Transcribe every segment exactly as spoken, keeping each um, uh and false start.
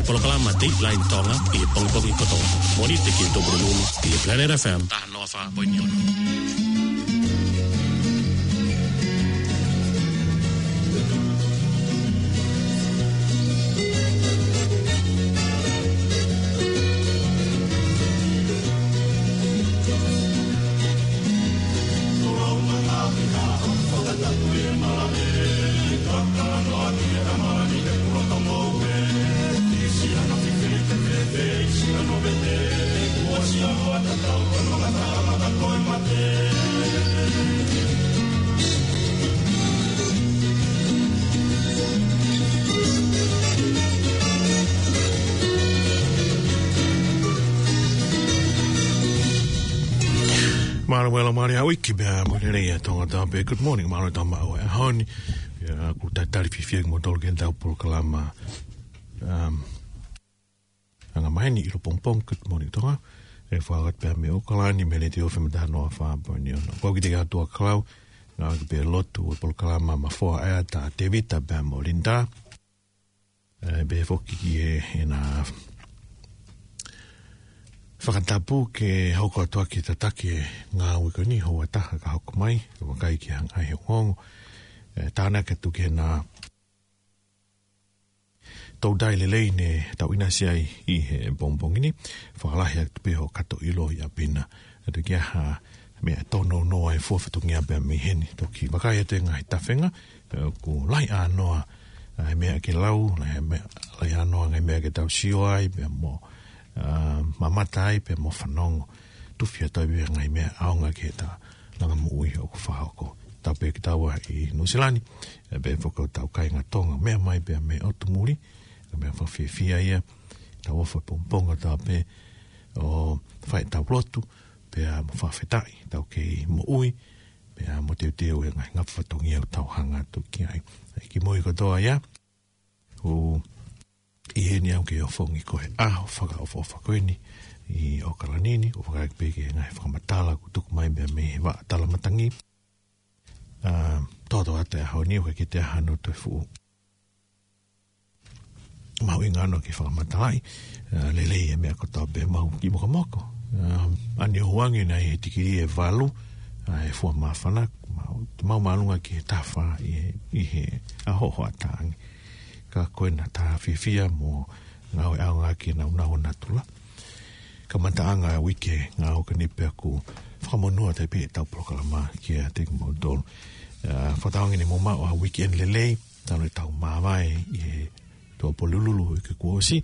Polokalama Dateline Tonga ʻi he pongipongi kotoa. Mōnite ki he Tupulupulu ʻi he Planet F M. Taha noa fā poini ono. Mālō, mālō, mālō ʻa e uike, pea mo e lelei ʻa Tonga Tāpē. Good morning, mālō e tau maʻu e ʻaho ni. ʻIo, ʻoku talitali fiefia kimoutolu ki heʻetau polokalama, um, anga maheni ʻi loto pongipongi, Good Morning Tonga. ʻE fakahoko atu pē mei ʻAokalani, mei he Letiō F M taha noa fā poini ono. Ko au Kiteki Atuakalau, ngāueʻaki pē lotu ʻo e polokalama Mafoa ʻa e ʻAta, Tevita pea mo Linda. ʻE, pehē foki ki he, ʻena fakatapu ke hoko atu ʻaki e tataki e ngāue ko eni, houa ʻe taha ka hoko mai, ʻo vakai ki he anga ʻi he ongoongo. ʻE, tānaki atu ki heʻena toutai lelei ne tau ʻinasi ai ʻi he pongipongi ni, fakalahi atu pē hoʻo kato ʻilo ʻi ʻapi na. ʻE toki ʻi ai ha meʻa tōnounou ai fua fatongia pea mei heni. Toki vakai atu e ngaahi tafenga, ʻe, ʻoku lahi ʻānoa, ʻa e meʻa ke lau, lahi meʻa, lahi ʻānoa ngaahi meʻa ke tau sio ai, pea mo, ʻa, mamata ai, pea mo fanongo. Tufi atu ai pē ngaahi meʻa ʻaonga ki heʻeta langa moʻui ʻoku fakahoko. Tāpē kitaua ʻi Nuʻusila ni, ʻe pehē foki ki hotau kāinga Tonga, meʻa mai pea mei ʻotu muli, ka meʻa fakafiefia ia, tau ʻofa pongipongi tāpē ʻo fai ʻetau lotu, pea mo fakafetaʻi, tau kei moʻui, pea mo teuteu e ngaahi ngafa fatongia ʻoku tau hanga atu ki ai. ʻE, ki mui kotoa ia, ʻoku ʻi heni au ke ofongi ko e ʻaho fakaʻofoʻofa ko eni ʻi ʻAokalani ni, ʻo vakai pē ki he ngaahi fakamatala kuo tuku mai pea mei he vaʻa tala matangi. ʻA, toto atu e ʻaho ni, ʻoku ʻikai ke toe ʻi ai hano toe fuʻu mahuʻinga ʻana ke fakamatalaʻi, ʻa, lelei e meʻa kotoa pē, mau kiʻi mokomoko. ʻA, ʻa eni ʻoku ʻoange ʻi he tikilī ʻe valu, ʻa, e fua māfana, mau, mau māʻolunga ki he taha fā ʻi he, ʻi he ʻaho hoʻatā ange. Ka ko ʻena tā fiefia mo ngāue ʻaonga ki he nāunau ʻo natula. Kamataʻanga e uike ngāue ko eni pea ʻoku fakamonū atu ai pē ʻetau polokalama kiate kimoutolu. ʻA, fakatauange ne mou maʻu ha weekend lelei, talu ʻetau māvae ʻi he Tuʻapulupulu ʻi he uike kuo ʻosi,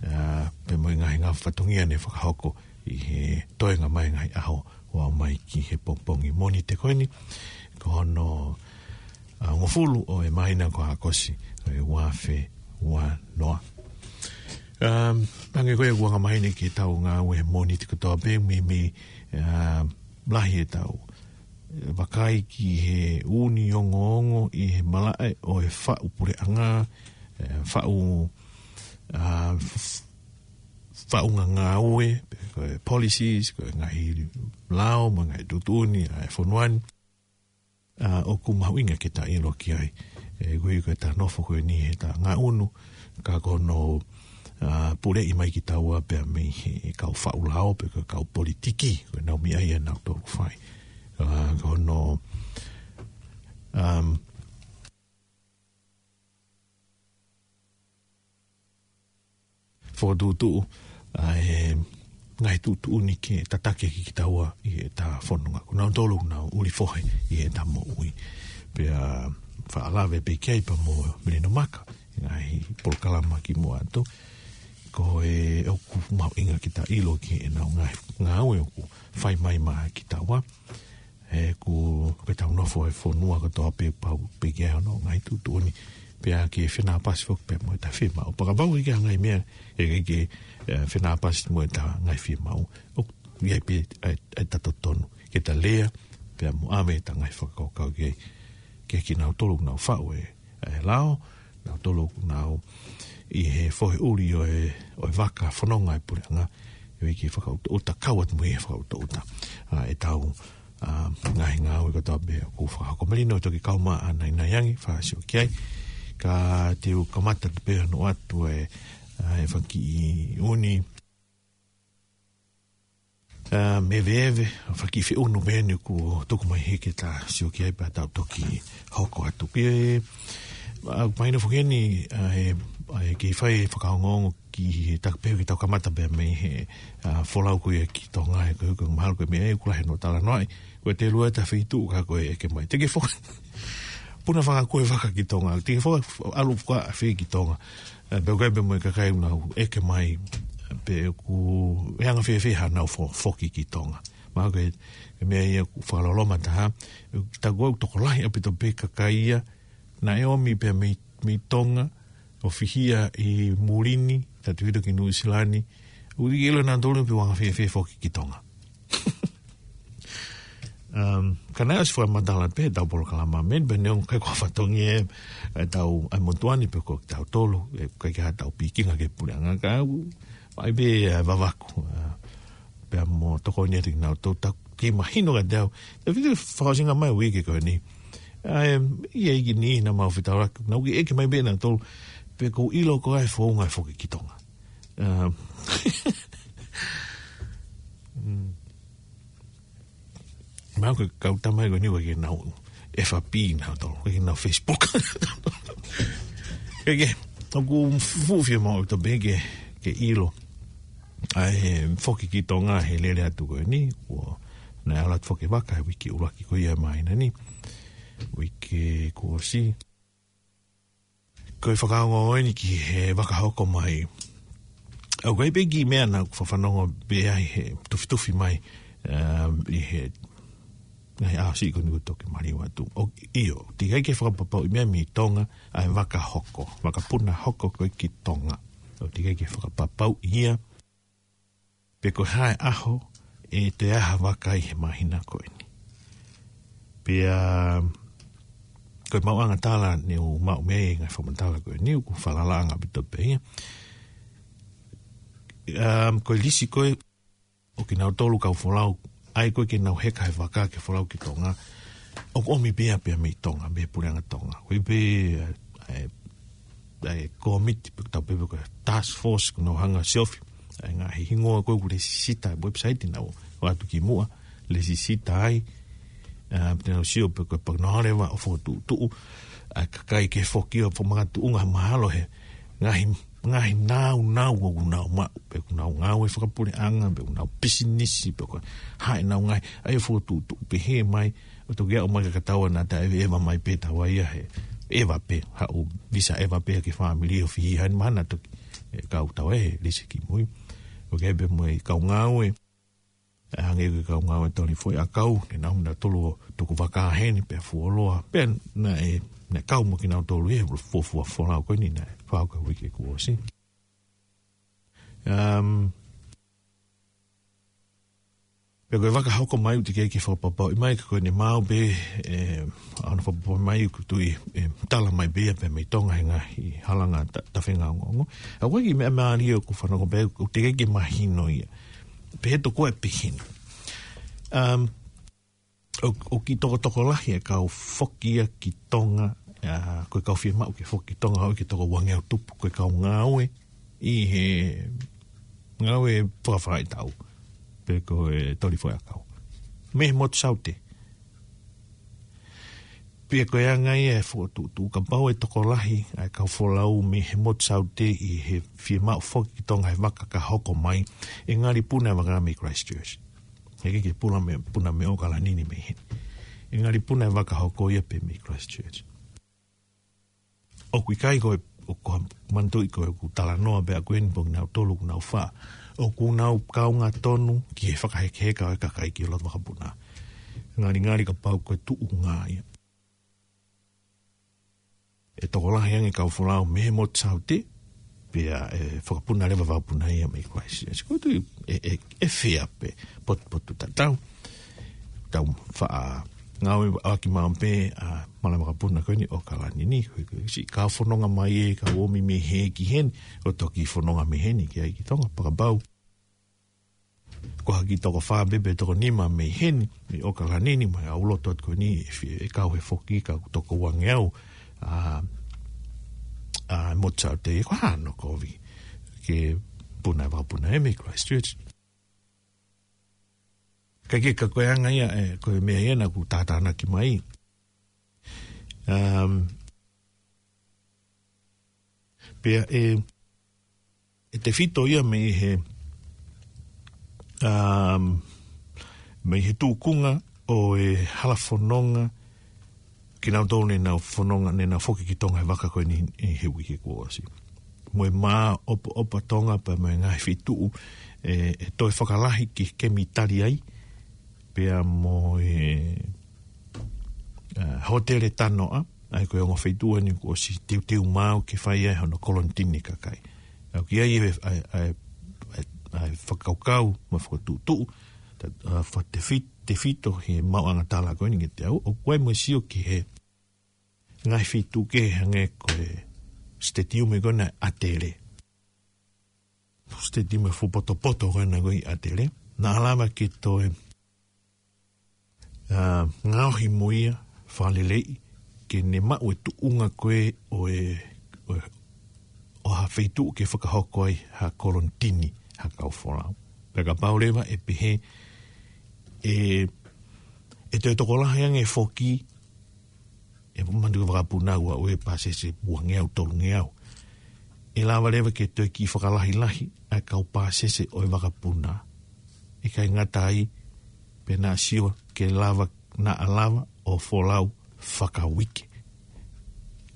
ʻa, pea mo e ngaahi ngafa fatongia ne fakahoko ʻi he toenga mai e ngaahi ʻaho ʻo aʻu mai ki he pongipongi Mōnite ko eni, ko hono, ʻa, hongofulu ʻo e māhina ko ʻAokosi, ʻo e ua afe ua noa. Um, hangē ko ia ʻoku anga maheni ki heʻetau ngāue he Mōnite kotoa pē, meimei, ʻa, lahi ʻetau, ʻe, vakai ki he ʻū ongoongo ʻi he malaʻe ʻo e faʻu puleʻanga, ʻe, faʻu, ʻa, f-, faʻunga ngāue, pe ko e policies, ko e ngaahi lao, mo e ngaahi tuʻutuʻuni ʻa e fonua ni. ʻA, ʻoku mahuʻinga ke ta ʻilo ki ai. ʻE, koeʻuhi ko ʻeta nofo ko eni heʻeta ngaʻunu, ka ko hono, ʻa, puleʻi mai kitaua pea mei he kau faʻu lao, pe ko e kau politiki, ko ʻenau meʻa ia ʻoku nau tolu fai. ʻA, ko hono, um, fokotuʻutuʻu ʻa e ngaahi tuʻutuʻuni ke tataki ʻaki kitaua ʻi heʻeta fononga. Ko nautolu ʻoku nau ʻuli fohe ʻi heʻeta moʻui. Pea faʻa lave pē ki ai pea mo Melino Maka, ngaahi polokalama kimuʻa atu. Ko e ʻoku mahuʻinga ke ta ʻilo ki heʻenau ngaahi ngāue ʻoku fai mai maʻa kitaua. ʻE, ʻoku, ko ʻetau nofo he fonua kotoa pē pau pē ke ʻi ai hono ngaahi tuʻutuʻuni. Pea ke fenāpasi foki pea mo ʻeta fiemaʻu. Pea kapau ʻoku ʻi ai ha ngaahi meʻa ʻe ʻikai ke, ʻe, fenāpasi mo ʻeta ngaahi fiemaʻu, ʻoku ʻi ai pē ʻa e, ʻa ʻeta totonu ke ta lea, pea mo ʻave ʻeta ngaahi fakakaukau ki ai, ki kinautolu ʻoku nau faʻu e ʻa e lao, nautolu ʻoku nau ʻi he fohe ʻuli ʻo e, ʻo e vaka fononga e puleʻanga, ʻe ʻikai ke fakaʻutoʻuta, kau atu mo ia he fakaʻutoʻuta. ʻA, ʻetau, ʻa, ngaahi ngāue kotoa pē ʻoku fakahoko. Melino, toki kau mai ʻa Nainai ange, fakaʻosi ʻo ki ai. Ka te u kamata atu pē hono ʻoatu e, ʻa e fanga kiʻi ʻuni, ʻa, meveeve, fanga kiʻi feʻunu pē eni kuo tuku mai hē ke ta sio ki ai pea tau toki hoko atu. Pea, ʻa, mahino foki eni, ʻa, ʻe, ʻa, ʻe kei fai fakaongoongo ki he taku pē ke tau kamata pē mei he, ʻa, folau ko ia ki Tonga, ʻe ko, ko mahalo ko e meʻa ʻe kula he no talanoaʻi. Ko e te lua ta fitu ka ko e ʻeke mai. Te ke foki. Puna fanga ko e vaka ki Tonga. Te ke foki ʻalu fakaʻafe ki Tonga. ʻE, pea ko e pē mo e kakai ʻoku nau ʻeke mai. Pea ʻoku anga fēfē haʻanau fo-, foki ki Tonga. Mahalo ko e, ko e meʻa ia ʻoku fakaloloma taha. Taku ʻoku tokolahi ʻaupito pē kakai ia. Naʻe ʻomi pē mei, mei Tonga. ʻO fihia ʻi muli ni, tau hito ki Nuʻusila ni. ʻOku ʻikai ke ʻilo nautolu pe ʻoku anga fēfē foki ki Tonga. Um, ka naʻe ʻosi fakamatala pē, tau polokalama meni, pea neongo ʻikai ko ha fatongia ʻe, ʻe tau, ʻa e motuʻa ni pe ko tautolu, ʻe ʻikai ke ha tau pikinga ke puleʻanga ka u, ʻai pē, ʻa, vavaku, ʻa, pea mo tokoni atu kinautolu, tau kei mahino kiate au. Tau fitu fakaʻosinga mai uike ko eni. ʻA, ʻe, ʻi ai ki ni na mau fetaulaki, nau kei ʻeke mai pē nautolu, pe ʻoku ou ʻilo ko e founga ʻe foki ki Tonga. Um, mm. Mahalo ko e kau tama ko eni ʻoku ʻikai ke nau F B nautolu, ʻikai ke nau Facebook. Ke ke, ʻoku fuʻu fiemaʻu ʻaupito pē ke, ke ʻilo. ʻA e foki ki Tonga he lele atu ko eni, ʻo naʻe ʻalu atu foki e vaka he uike ʻuluaki ko ia māhina ni. Uike kuo ʻosi. Ko e fakaongo eni ki he vaka hoko mai. ʻOku ʻi ai pē kiʻi meʻa naʻa ku fafanongo pē ai he tufitufi mai, um, ʻi he, ngaahi ʻaho siʻi ko eni kuo toki maliu atu. ʻOku, ʻio, teʻeki ai ke fakapapauʻi meʻa mei Tonga, ʻa e vaka hoko, vakapuna hoko ko ē ki Tonga. ʻOku teʻeki ai ke fakapapauʻi ia, pe ko e hā e ʻaho ʻe toe ʻalu ha vaka ʻi he māhina ko eni. Pea, ko e maʻuʻanga tala ne u maʻu mei he ngaahi fakamatala ko eni, ʻoku falalaʻanga ʻaupito pē ia. Um, ko e lisi ko ē ʻo kinautolu kau folau, ʻa ia ko ē ke nau heka he vaka ke folau ki Tonga, ʻoku ʻomi pē ia pē mei Tonga, mei he puleʻanga Tonga. Ko e pē, ʻa e, ʻa e kōmiti, pe tau pehē ko e task force, ʻoku nau hanga ʻo siofi ʻa e ngaahi hingoa ko ē ʻoku lesisita he website naʻa ku ʻoatu ki muʻa, lesisita ai, ʻa, pea te nau sio pe ko e pau ke nau lava ʻo fokotuʻutuʻu ʻa e kakai ke foki ʻo fakamakatuʻunga mahalo he ngaahi, ngaahi nāunau ʻoku nau maʻu, pe ʻoku nau ngāue fakapuleʻanga, pe ʻoku nau pisinisi, pe ko e hā ʻenau ngaahi, ʻa ia fokotuʻutuʻu pehē mai, ʻo toki aʻu mai ka taua naʻa ta ʻeveʻeva mai pē taua ia he ʻeva pē, haʻu visa ʻeva pē ki he fāmili ʻo fihi heni mahalo toki, ʻe, kau taua he lisi ki mui. ʻOku ʻi ai pē mo e kau ngāue, ʻa, hangē ko e kau ngāue Toli Foʻi ʻAkau, ne nau ō nautolu ʻo tuku vaka heni, pea fuoloa, pea naʻe, naʻe kau mo kinautolu ʻi he fuofua folau ko eni naʻe fakahoko he uike kuo ʻosi. Um, pea ko e vaka hoko mai ʻoku teʻeki ai ke fakapapauʻi mai, ka ko ʻene maau pē, ʻe, ʻa hono fakapapauʻi mai ʻoku tui, ʻe, tala mai pē ia pē mei Tonga he ngaahi halanga ta-, tafenga ongoongo. ʻA, ko e kiʻi meʻa mālie ʻoku fanongo pē, ʻoku teʻeki ai ke mahino ia. Pehē tokua ʻe pehē ni. Um, ʻo, ʻoku kiʻi tokotokolahi e kau foki ia ki Tonga, ʻa, ko e kau fiemaʻu ke foki ki Tonga, ʻoku ʻikai ke toko uangeau tupu, ko e kau ngāue ʻi he ngāue fakafaʻahitaʻu, pe ko e Toli Foʻi ʻAkau. Mei he motu Saute. Pea ko e anga ia e fokotuʻutuʻu kapau ʻe tokolahi ʻa e kau folau mei he motu Saute ʻi he fiemaʻu foki ki Tonga he vaka ka hoko mai, ʻe ngali puna e vaka mei Christchurch. He ʻikai ke puna mei, puna mei ʻAokalani ni mei heni. ʻE ngali puna e vaka hoko ia pē mei Christchurch. ʻOku ʻikai ko e, ʻoku ou manatuʻi ko ʻeku talanoa pē ʻaku eni pe ko kinautolu ʻoku nau faʻa. ʻOku nau kaunga tonu ki he fakahekeheka ʻo e kakai ki loto vakapuna. Ngalingali kapau ko e tuʻunga ia ʻe tokolahi ange kau folau mei he motu Saute, pea ʻe fakapuna leva vakapuna ia mei Christchurch. Ko e tuʻu ʻe, ʻe, ʻe fea pē, potupotutatau. Tau faʻa ngāueʻaki maʻu pē ʻa e malanga vakapuna ko eni ʻAokalani ni, ko e, ko e siʻi kau fononga mai ʻe kau ō mai mei hē ki heni, ʻo toki fononga mei heni ki ai ki Tonga, pea kapau ko ha kiʻi toko fā pē pe toko nima mei heni, mei ʻAokalani ni, mei he ʻū loto atu ko eni, ʻe fi-, ʻe kau he foki ka toko uangeau, ʻa, ʻa, motu Saute, ko hano kovi. ke puna e vakapuna ʻe mei Christchurch. Ka ke ka ko e anga ia, e, ko e meʻa ia naʻa ku tātānaki mai. Um, pea e, e tefito ia mei he, um, mei he tuʻunga ʻo e hala fononga, kinautolu ne nau fononga, ne nau foki ki Tonga he vaka ko eni ʻi he uike kuo ʻosi. Mo e māʻopoʻopo ʻa Tonga pea mo e ngaahi feituʻu, e, e toe fakalahi ki he kemi tali ai, pea mo e, a, hōtele tanoʻa, ʻa ia ko e ongo feituʻu eni kuo ʻosi teuteu maʻu ke fai ai hono kolonitini kakai. ʻOku ʻi ai e, ʻa e, ʻa e, ʻa e, ʻa e fakakaukau mo e fakatuʻutuʻu, ta, a, fakatefi-, tefito he maʻuʻanga tala ko eni kiate au, ʻoku ʻi ai mo e sio ki he ngaahi feituʻu kehe hangē ko e stadium ko ena ʻa ʻAtele. Stadium e fuʻu potopoto ko ena ko ē ʻi ʻAtele. Naʻa lava ke toe, a, ngaohi mo ia fakaleleiʻi ke ne maʻu e tuʻunga ko ē ʻo e, ʻo e, ʻo ha feituʻu ke fakahoko ai ha kolonitini ha kau folau. Pea kapau leva ʻe pehē, e, e toe tokolahi ange foki, e manatu ki he vakapuna ʻoku ʻi ai e pāsese ua ngeau, tolu ngeau. ʻE lava leva ke toe kiʻi fakalahilahi ʻa e kau pāsese ʻo e vakapuna. ʻIkai ngata ai, pea naʻa sio ke lava, naʻa lava ʻo folau fakauike.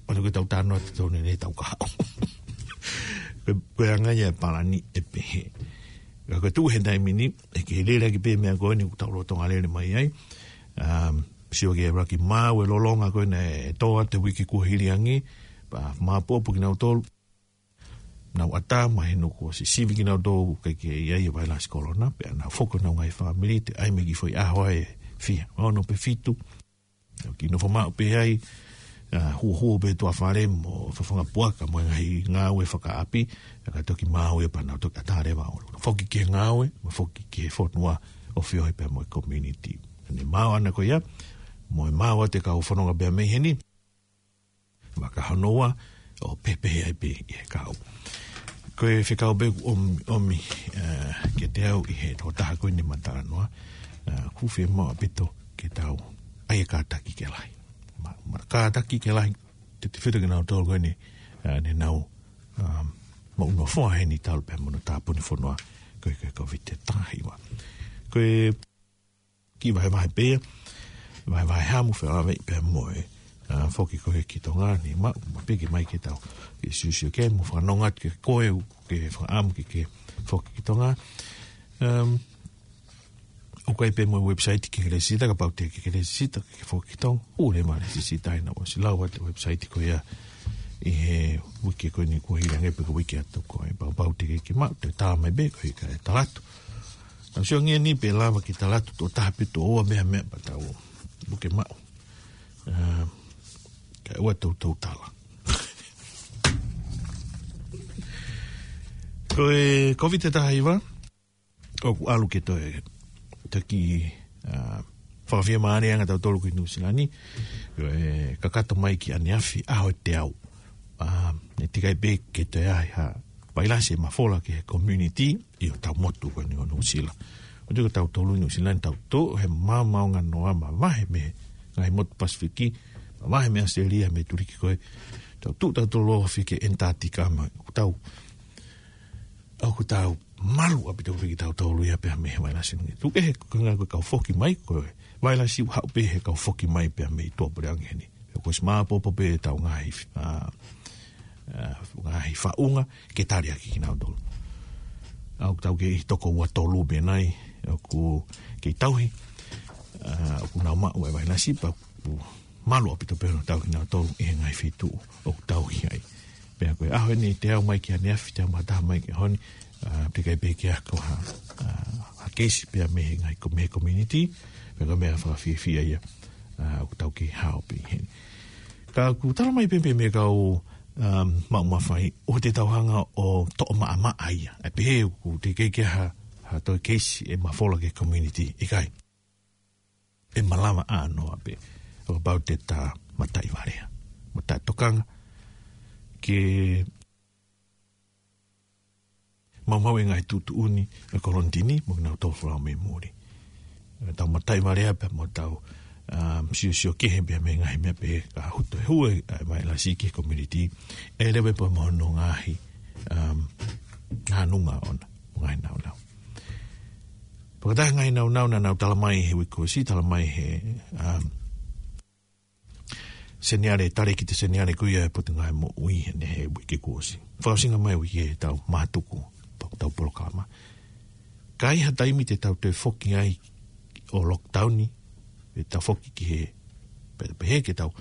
ʻOku ʻikai ke tau talanoa atu ki ai he ʻoku ne tau kahaʻu. Ko e, ko e anga ia e palani ʻe pehē. Ka ko e tuʻu he taimi ni, ʻe kei lele ʻaki pē meʻa ko eni ʻoku tau lolotonga lele mai ai. Um, sio ki he ʻuluaki maʻu e lolonga ko ena ʻe tō atu he uike kuo hili ange, pea māʻopoʻopo kinautolu. Nau ʻatā mai he ʻoku ʻosi sivi kinautolu ke, ke ʻi ai e vailasi kolona, pea nau foki honau ngaahi fāmili, toe ʻai mai ki he foʻi ʻaho ʻe fiha, ono pe fitu. Nau kiʻi nofo maʻu pē ai, a, huohuo pē tuʻa fale mo fafanga puaka mo e ngaahi ngāue fakaʻapi, ka toki maʻu ia pea nau toki ʻatā leva ʻo foki ki he ngāue, mo foki ki he fonua ʻo feohi pea mo e community. Ne maʻu ʻana ko ia, mo e maʻu atu e kau fononga pea mei heni, vaka hono ua, ʻo pehē pē ai pē ʻi he kau. Ko e fekau pē ʻoku ʻomi, ʻomi, a, kiate au ʻi he tokotaha ko eni ʻoku ma talanoa, a, ʻoku fiemaʻu ʻaupito ke tau ʻai e kātaki ke lahi. Ma, ma kātaki ke lahi, te te fita ke nau tau ko eni, a, ne nau, a, maʻu nofoa heni talu pē mo hono tāpuni fonua, ko e, ko e Kōviti taha hiva. Ko e kiʻi vahevahe pē ia, vahevahe hamu fēfē pea mo e, a, foki ko ē ki Tonga ni, ma, ma piki mai ke tau, ke siosio ki ai, mo fanongo atu ke koe, ke fakaʻamu ke, ke foki ki Tonga. Um, ʻoku ʻi ai pē mo e website ke ke lēsisita, kapau te ke ke lēsisita, ke foki ki Tonga. ʻOku lele mai e lēsisita ʻi he ʻosi lau atu e website ko ia ʻi he uike ko eni kuo hili ange pe ko e uike atu ko ē. Pea kapau te ke ke maʻu, te tā mai pē ko e ka e talatu. Tau sio ange ni pe lava ke talatu tokotaha pe tokoua meʻa meʻa pea tau puke maʻu. A, kae ʻoua te tau tala. Ko e Kōviti taha hiva, ʻoku ʻalu ke toe, toki, a, fakafiemālie ange ʻa tautolu ko ē ʻi Nuʻu Sila ni, ko e kakato mai ki ʻaneafi ʻaho ʻe teau. A, ne teʻeki ai pē ke toe ʻi ai ha vailasi ʻe mafola ki he community ʻi hotau motu ko eni ʻo Nuʻu Sila. ʻOku tau tolu ʻi Nuʻu Sila ni tau tuʻu he maomaonganoa mavahe mei he ngaahi motu Pasifiki, mavahe mei ʻAositelēlia, mei Tuliki ko ē. Tau tuʻu tautolu ʻo ofi ki he Antarctica mo ʻoku tau, ʻoku tau malu ʻaupito pē kitautolu ia pea mei he vailasi ni. Tuku kehe ko e ngaahi ko e kau foki mai, ko e vailasi ʻoku haʻu pē he kau foki mai pea mei tuʻapuleʻanga heni. He kuo ʻosi māʻopoʻopo pē ʻetau ngaahi, a, a, ngaahi faʻunga ke tali ʻaki kinautolu. ʻA, ʻoku tau kei toko ua tolu pē nai, ʻoku kei tauhi, a, ʻoku nau maʻu e vailasi pea ʻoku malu ʻaupito pē hono tauhi kinautolu ʻi he ngaahi feituʻu ʻoku tauhi ai. Pea ko e ʻaho eni teau mai ki ʻaneafi, teau maʻu taha mai ki he ʻaho ni, a, teʻeki ai pē ke ʻi ai ha, a, ha keisi pea mei he ngaahi ko-, mei he community, pea ko e meʻa fakafiefia ia, a, ʻoku tau kei hao pē ʻi heni. Ka ʻoku tala mai pē pē mei he kau, um, maʻu mafai, ʻoua te tau hanga ʻo toʻo maʻamaʻa ia. ʻE pehē ʻoku teʻeki ai ke ʻi ai ha, ha toe keisi ʻe mafola ki he community, ʻikai. ʻE malava ʻānoa pē. ʻO kapau te ta mataʻi valea. Mataʻi tokanga. Ke maumau e ngaahi tuʻutuʻuni ʻa e kolonitini mo kinautolu folau mei muli. ʻE tau mataʻi vale pē mo tau, um, siosio kehe pē mei he ngaahi meʻa pehē ka hoto e hue ʻa e vailasi ki he community. ʻE leve pē mo hono ngaahi, um, nāunau ʻona, ngaahi nāunau. Pea ko e taha e ngaahi nāunau naʻa nau talamai he uike kuo ʻosi, talamai he, um, seniale, talēkita seniale ko ia ʻo e Potungāue Moʻui he nehe he uike kuo ʻosi. Fakaʻosinga mai uike ʻe tau mātuku, tau polokalama. Ka ʻi ha taimi te tau toe foki ai ʻo lockdown, ʻe tau foki ki he, pe, pehē ke tau,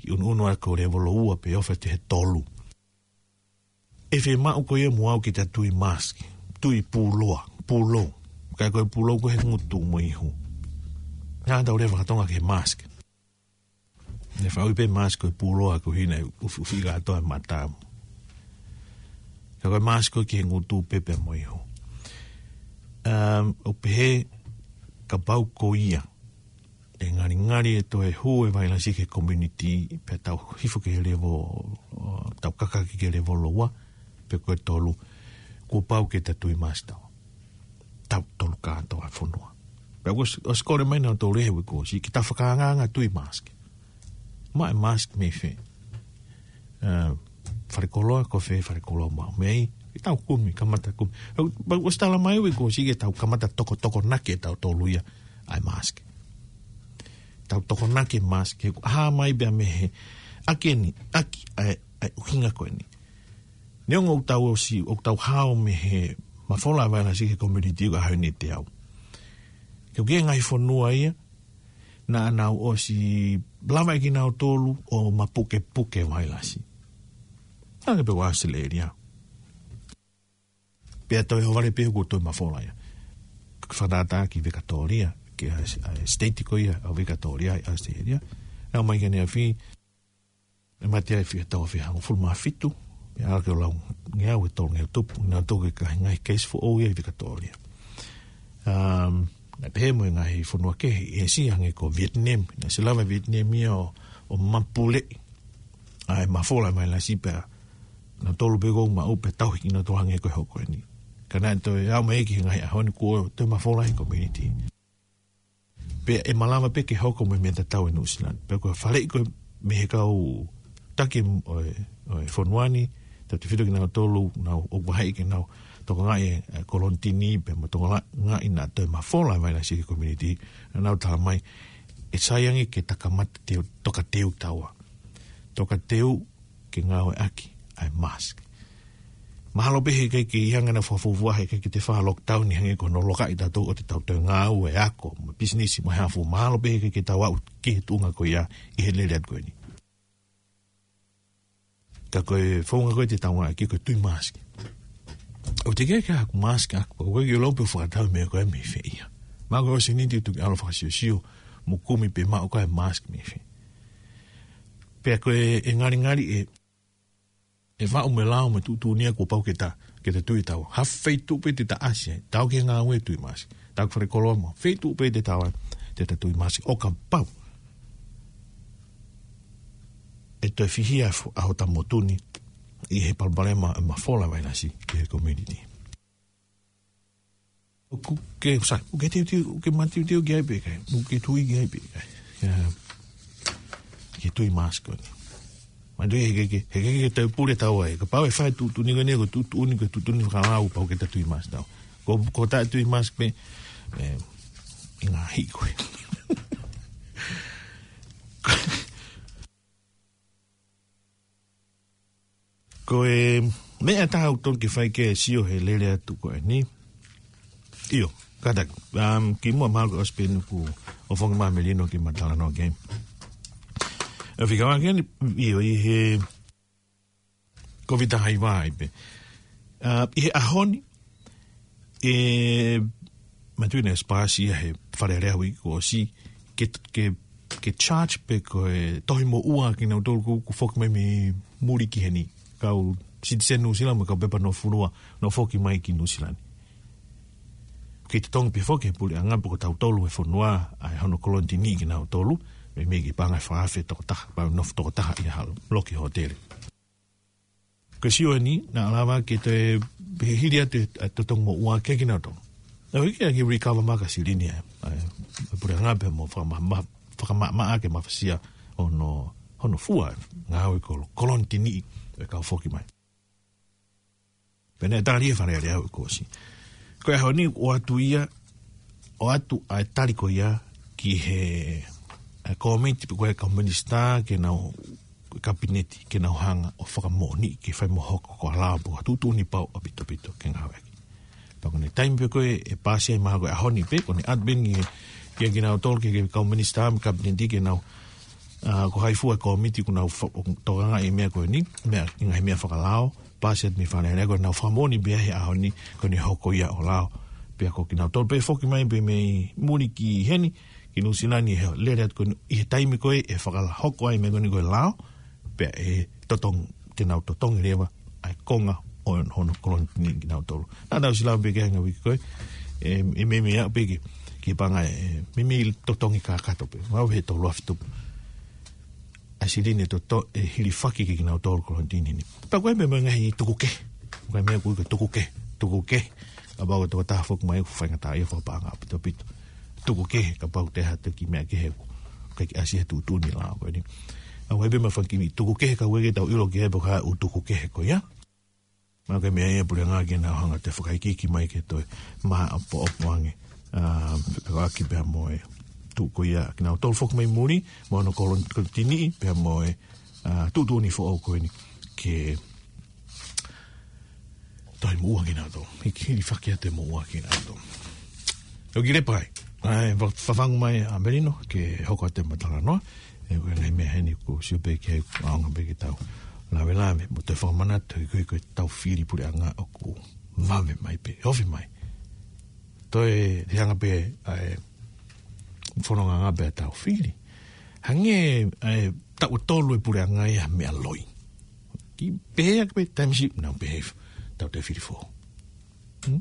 ki ʻunuʻunu ʻa ko e lēvolo ua pe ʻofa atu he tolu. ʻE fiemaʻu ko ia muʻa ke ta tui mask, tui pulou, pulou. Ka ko e pulou ko e he ngutu mo e ihu. Naʻa tau lea faka-Tonga ki he mask. Ne fai pē mask ko e pulou ʻa ko hina ʻufiʻufi kātoa e mata. Ka ko e mask ko e ki he ngutu pē pea mo e ihu. Um, ʻo pehē kapau ko ia ʻe ngalingali ʻe toe hū e vailasi ki he community, pea tau hifo ki he level, ʻo, tau kakaki ki he lēvolo ua, pe ko e tolu, kuo pau ke ta tui mask tau. Tau tolu kātoa e fonua. Pea kuo ʻosi, ʻosi kole mai nautolu he uike kuo ʻosi, ke ta fakaangaanga tui mask. Maʻu e mask mei fē? Uh, falekoloa, ko fē falekoloa maʻu mei ai? Ke tau kumi, kamata kumi. Pea, pea kuo ʻosi talamai he uike kuo ʻosi ke tau kamata tokotokonaki ʻe tautolu ia ʻa e mask. Tau tokonaki e mask, he ʻoku hā mai pea mei he, ʻaki eni, ʻaki ʻa e, ʻa e ʻuhinga ko eni. Neongo ʻoku tau ʻosi, ʻoku tau hao mei he mafola ʻa e vailasi ki he community ʻo e ʻaho ni ʻe teau. Ke ʻoku ʻi ai e ngaahi fonua ia, naʻa nau ʻosi lava ʻe kinautolu ʻo mapukepuke e vailasi. Hangē pē ko ʻAositelēlia. Pea toe ʻohovale pē kuo toe mafola ia. Fakatātā ki Vikatōlia, ki he, ʻa e state ko ia ʻo Vikatōlia ʻi ʻAositelēlia. Naʻa mai ki he ʻaneafi, ʻe mate ai fia tau fia hangofulu mā fitu, pea ʻalu ki he lau ngeau ʻe tolungeau tupu, naʻa tau toki ʻi ai e ngaahi case foʻou ia ʻi Vikatōlia. Um, naʻe pehē mo e ngaahi fonua kehe ʻi ʻĒsia hangē ko Vietnam, naʻe ʻosi lava ʻe Vietnam ia ʻo, ʻo mapuleʻi ʻa e mafola ʻa e vailasi pea nautolu pē ʻoku maʻu pē tauhi kinautolu hangē ko e hoko eni. Ka naʻe toe aʻu mai ki he ngaahi ʻaho ni kuo toe mafola he community. Pea ʻe malava pē ke hoko mo e meʻa tatau ʻi Nuʻusila ni. Pea ko e faleʻi ko ē mei he kau taki ʻo e, ʻo e fonua ni, tautefito kinautolu, nau ʻoku ʻahiʻahi ke nau tokangaʻi e, e kolonitini, pea mo tokangaʻi naʻa toe mafola e vailasi ki he community, naʻa nau talamai, ʻe sai ange ke ta kamata teu, toka teu taua. Toka teu ke ngāueʻaki ʻa e mask. Mahalo pē he ʻikai ke ʻi ai hano fakafuofua he ʻikai ke toe fai ha lockdown ni hangē ko hono lokaʻi tautolu ʻo te tau toe ngāue ako, mo e pisinisi, mo e hā fua. Mahalo pē he ʻikai ke tau aʻu ki he tuʻunga ko ia ʻi he lele atu ko eni. Ka ko e founga ko ē te tau ngāueʻaki ko e tui mask. ʻOku teʻeki ke ʻi ai haku mask ʻaʻaku, ʻoku ʻikai ke u lau pē ʻoku fakatau e meʻa ko ē mei fē ia. Mahalo ko e ʻosi eni te u toki ʻalu ʻo fakasiosio mo kumi pe maʻu ko ē e mask mei fē. Pea ko e, ʻe ngalingali ʻe, ʻe faʻu mo e lao mo e tuʻutuʻuni ia kuo pau ke ta, ke ta tui taua. Ha feituʻu pē te ta ʻasi ai, tau ki he ngāue tui mask. Tau ki falekoloa mo, feituʻu pē te tau ai, te ta tui mask. ʻO kapau ʻe toe fihia fu-, ʻa hota motu ni, ʻi he palopalema e mafola vailasi ki he community. ʻOku ke, sai, ʻoku ke teuteu, ʻoku ke mateuteu ki ai pē ʻikai, ʻoku ke tui ki ai pē ʻikai. Ia, ke tui mask ko eni. Manatuʻi he ʻikai ke, he ʻikai ke tau pule taua ai. Kapau ʻe fai tuʻutuʻuni ko eni, ko e tuʻutuʻuni, ko e tuʻutuʻuni fakalau, pau ke ta tui mask taua. Ko, ko ta tui mask pē, ʻe, ʻe ngaahi ko ē. Ko e meʻa ʻe taha ʻoku tonu ke fai ke sio he lele atu ko eni. ʻIo, kātaki. Um, kimuʻa mahalo ko e ʻosi pē eni kuo u fongi mai Melino ke ma talanoa ki ai. ʻE fika wā ke eni, ʻio, ʻi he Covid taha hiva ai pē. Uh, ʻi he ʻaho ni, ʻe, manatuʻi naʻe ʻosi paasi ia he Fale Alea uike kuo ʻosi, ke, ke, ke charge pe ko e tohi moʻua kinautolu kuo, kuo foki mai mei muli ki heni. Kau citizen Nuʻusila mo e kau pepa nofo fonua, nau foki mai ki Nuʻusila ni. Ke totongi pē foki he puleʻanga pe ko tautolu he fonua, ʻa e hono kolonitini kinautolu, meimei ke paʻanga ʻe fā afe tokotaha, pea nofo tokotaha ʻi ha loki hōtele. Ko e sio eni, naʻa lava ke toe He hili atu e, ʻa e totongi moʻua ke kinautolu. Naʻe ʻikai ke recover mai ʻa e silini ʻa e, ʻa e, ʻa e puleʻanga pea mo fakama-, ma-, fakamaʻamaʻa ke mafasia hono, hono fua e ngāue kolo-, kolonitini ʻa e kau foki mai. Pea naʻe tali ʻe Fale Alea ʻo e kuo ʻosi. Ko e ʻaho ni ʻoatu ia, ʻoatu ʻa e tali ko ia ki he, ʻa e kōmiti pe ko e kau minisitā ke nau, kapineti ke nau hanga ʻo fakamoʻoni ke fai mo hoko ko e lao pe ko e tuʻutuʻuni pau ʻaupito ʻaupito ke ngāueʻaki. Pea ko e taimi pē ko ē ʻe pāsi ai mahalo ko e ʻaho ni pē, ko e ʻatu pē eni ki he, ki he kinautolu ki he kau minisitā mo e kapineti ke nau, ʻa, ko hai fua e kōmiti kuo nau fa-, tokangaʻi e meʻa ko eni, meʻa, ʻi he ngaahi meʻa fakalao, pāsi atu mei Fale Alea ko ʻenau fakamoʻoni pē he ʻaho ni ko ʻene hoko ia ʻo lao. Pea ko kinautolu pē foki mai pē mei muli ki heni, ki Nuʻusila ni he lele atu ko eni ʻi he taimi ko ē ʻe fakalahoko ai e meʻa ko eni ko e lao, pea ʻe totongi, te nau totongi leva ʻa e konga ʻo hono kolonitini kinautolu. Naʻa tau ʻosi lave pē ki he ngaahi uike ko ē, ʻe, ʻe meimei aʻu pē ki, ki he paʻanga ʻe, meimei totongi kakato pē. Mau he tolu afe tupu. ʻA e silini ʻe toto-, ʻe hilifaki ki he kinautolu kolonitini ni. Pea ko e meʻa mo e ngaahi tuku kehe. Ko e meʻa ko e tuku kehe, tuku kehe. Kapau ko e tokotaha foki mai ʻoku faingataʻaʻia fakapaʻanga ʻaupito ʻaupito. Tuku kehe kapau te ha toki meʻa kehe ʻoku ʻikai ke ʻasi he tuʻutuʻuni lao ko eni. ʻOku ʻi ai pē mo e fanga kiʻi tuku kehe ka ʻoku ʻikai ke tau ʻilo ki ai pe ko e hā e ʻū tuku kehe ko ia. Mahalo ko e meʻa ia e puleʻanga ke nau hanga ʻo toe fakaikiiki mai ke toe maʻopoʻopo ange. ʻA, ʻaki pea mo e tuʻu ko ia kinautolu foki mai muli, mo hono kolon-, kolonitini, pea mo e, ʻa, tuʻutuʻuni foʻou ko eni ke toe moʻua kinautolu. Hiki hilifaki atu e moʻua kinautolu. ʻOku ou kiʻi lepa ai. ʻAi, fa-, fafangu mai ʻa Melino ke hoko atu e talanoa. ʻE, ko e ngaahi meʻa heni ʻoku ou sio pē ki ai ʻoku ʻaonga pē ke tau lavelave mo toe fakamanatu, he ko e, ko e tau fili puleʻanga ʻoku vave mai pē, ofi mai. Toe te hanga pē ʻa e fononga ʻanga pē ʻa e tau fili. Hangē ʻa e taʻu ʻe tolu e puleʻanga ia meʻa loi. Kiʻi pehē ʻaki pē taimi siʻi, nau pehē, tau toe fili foʻou. Hmm?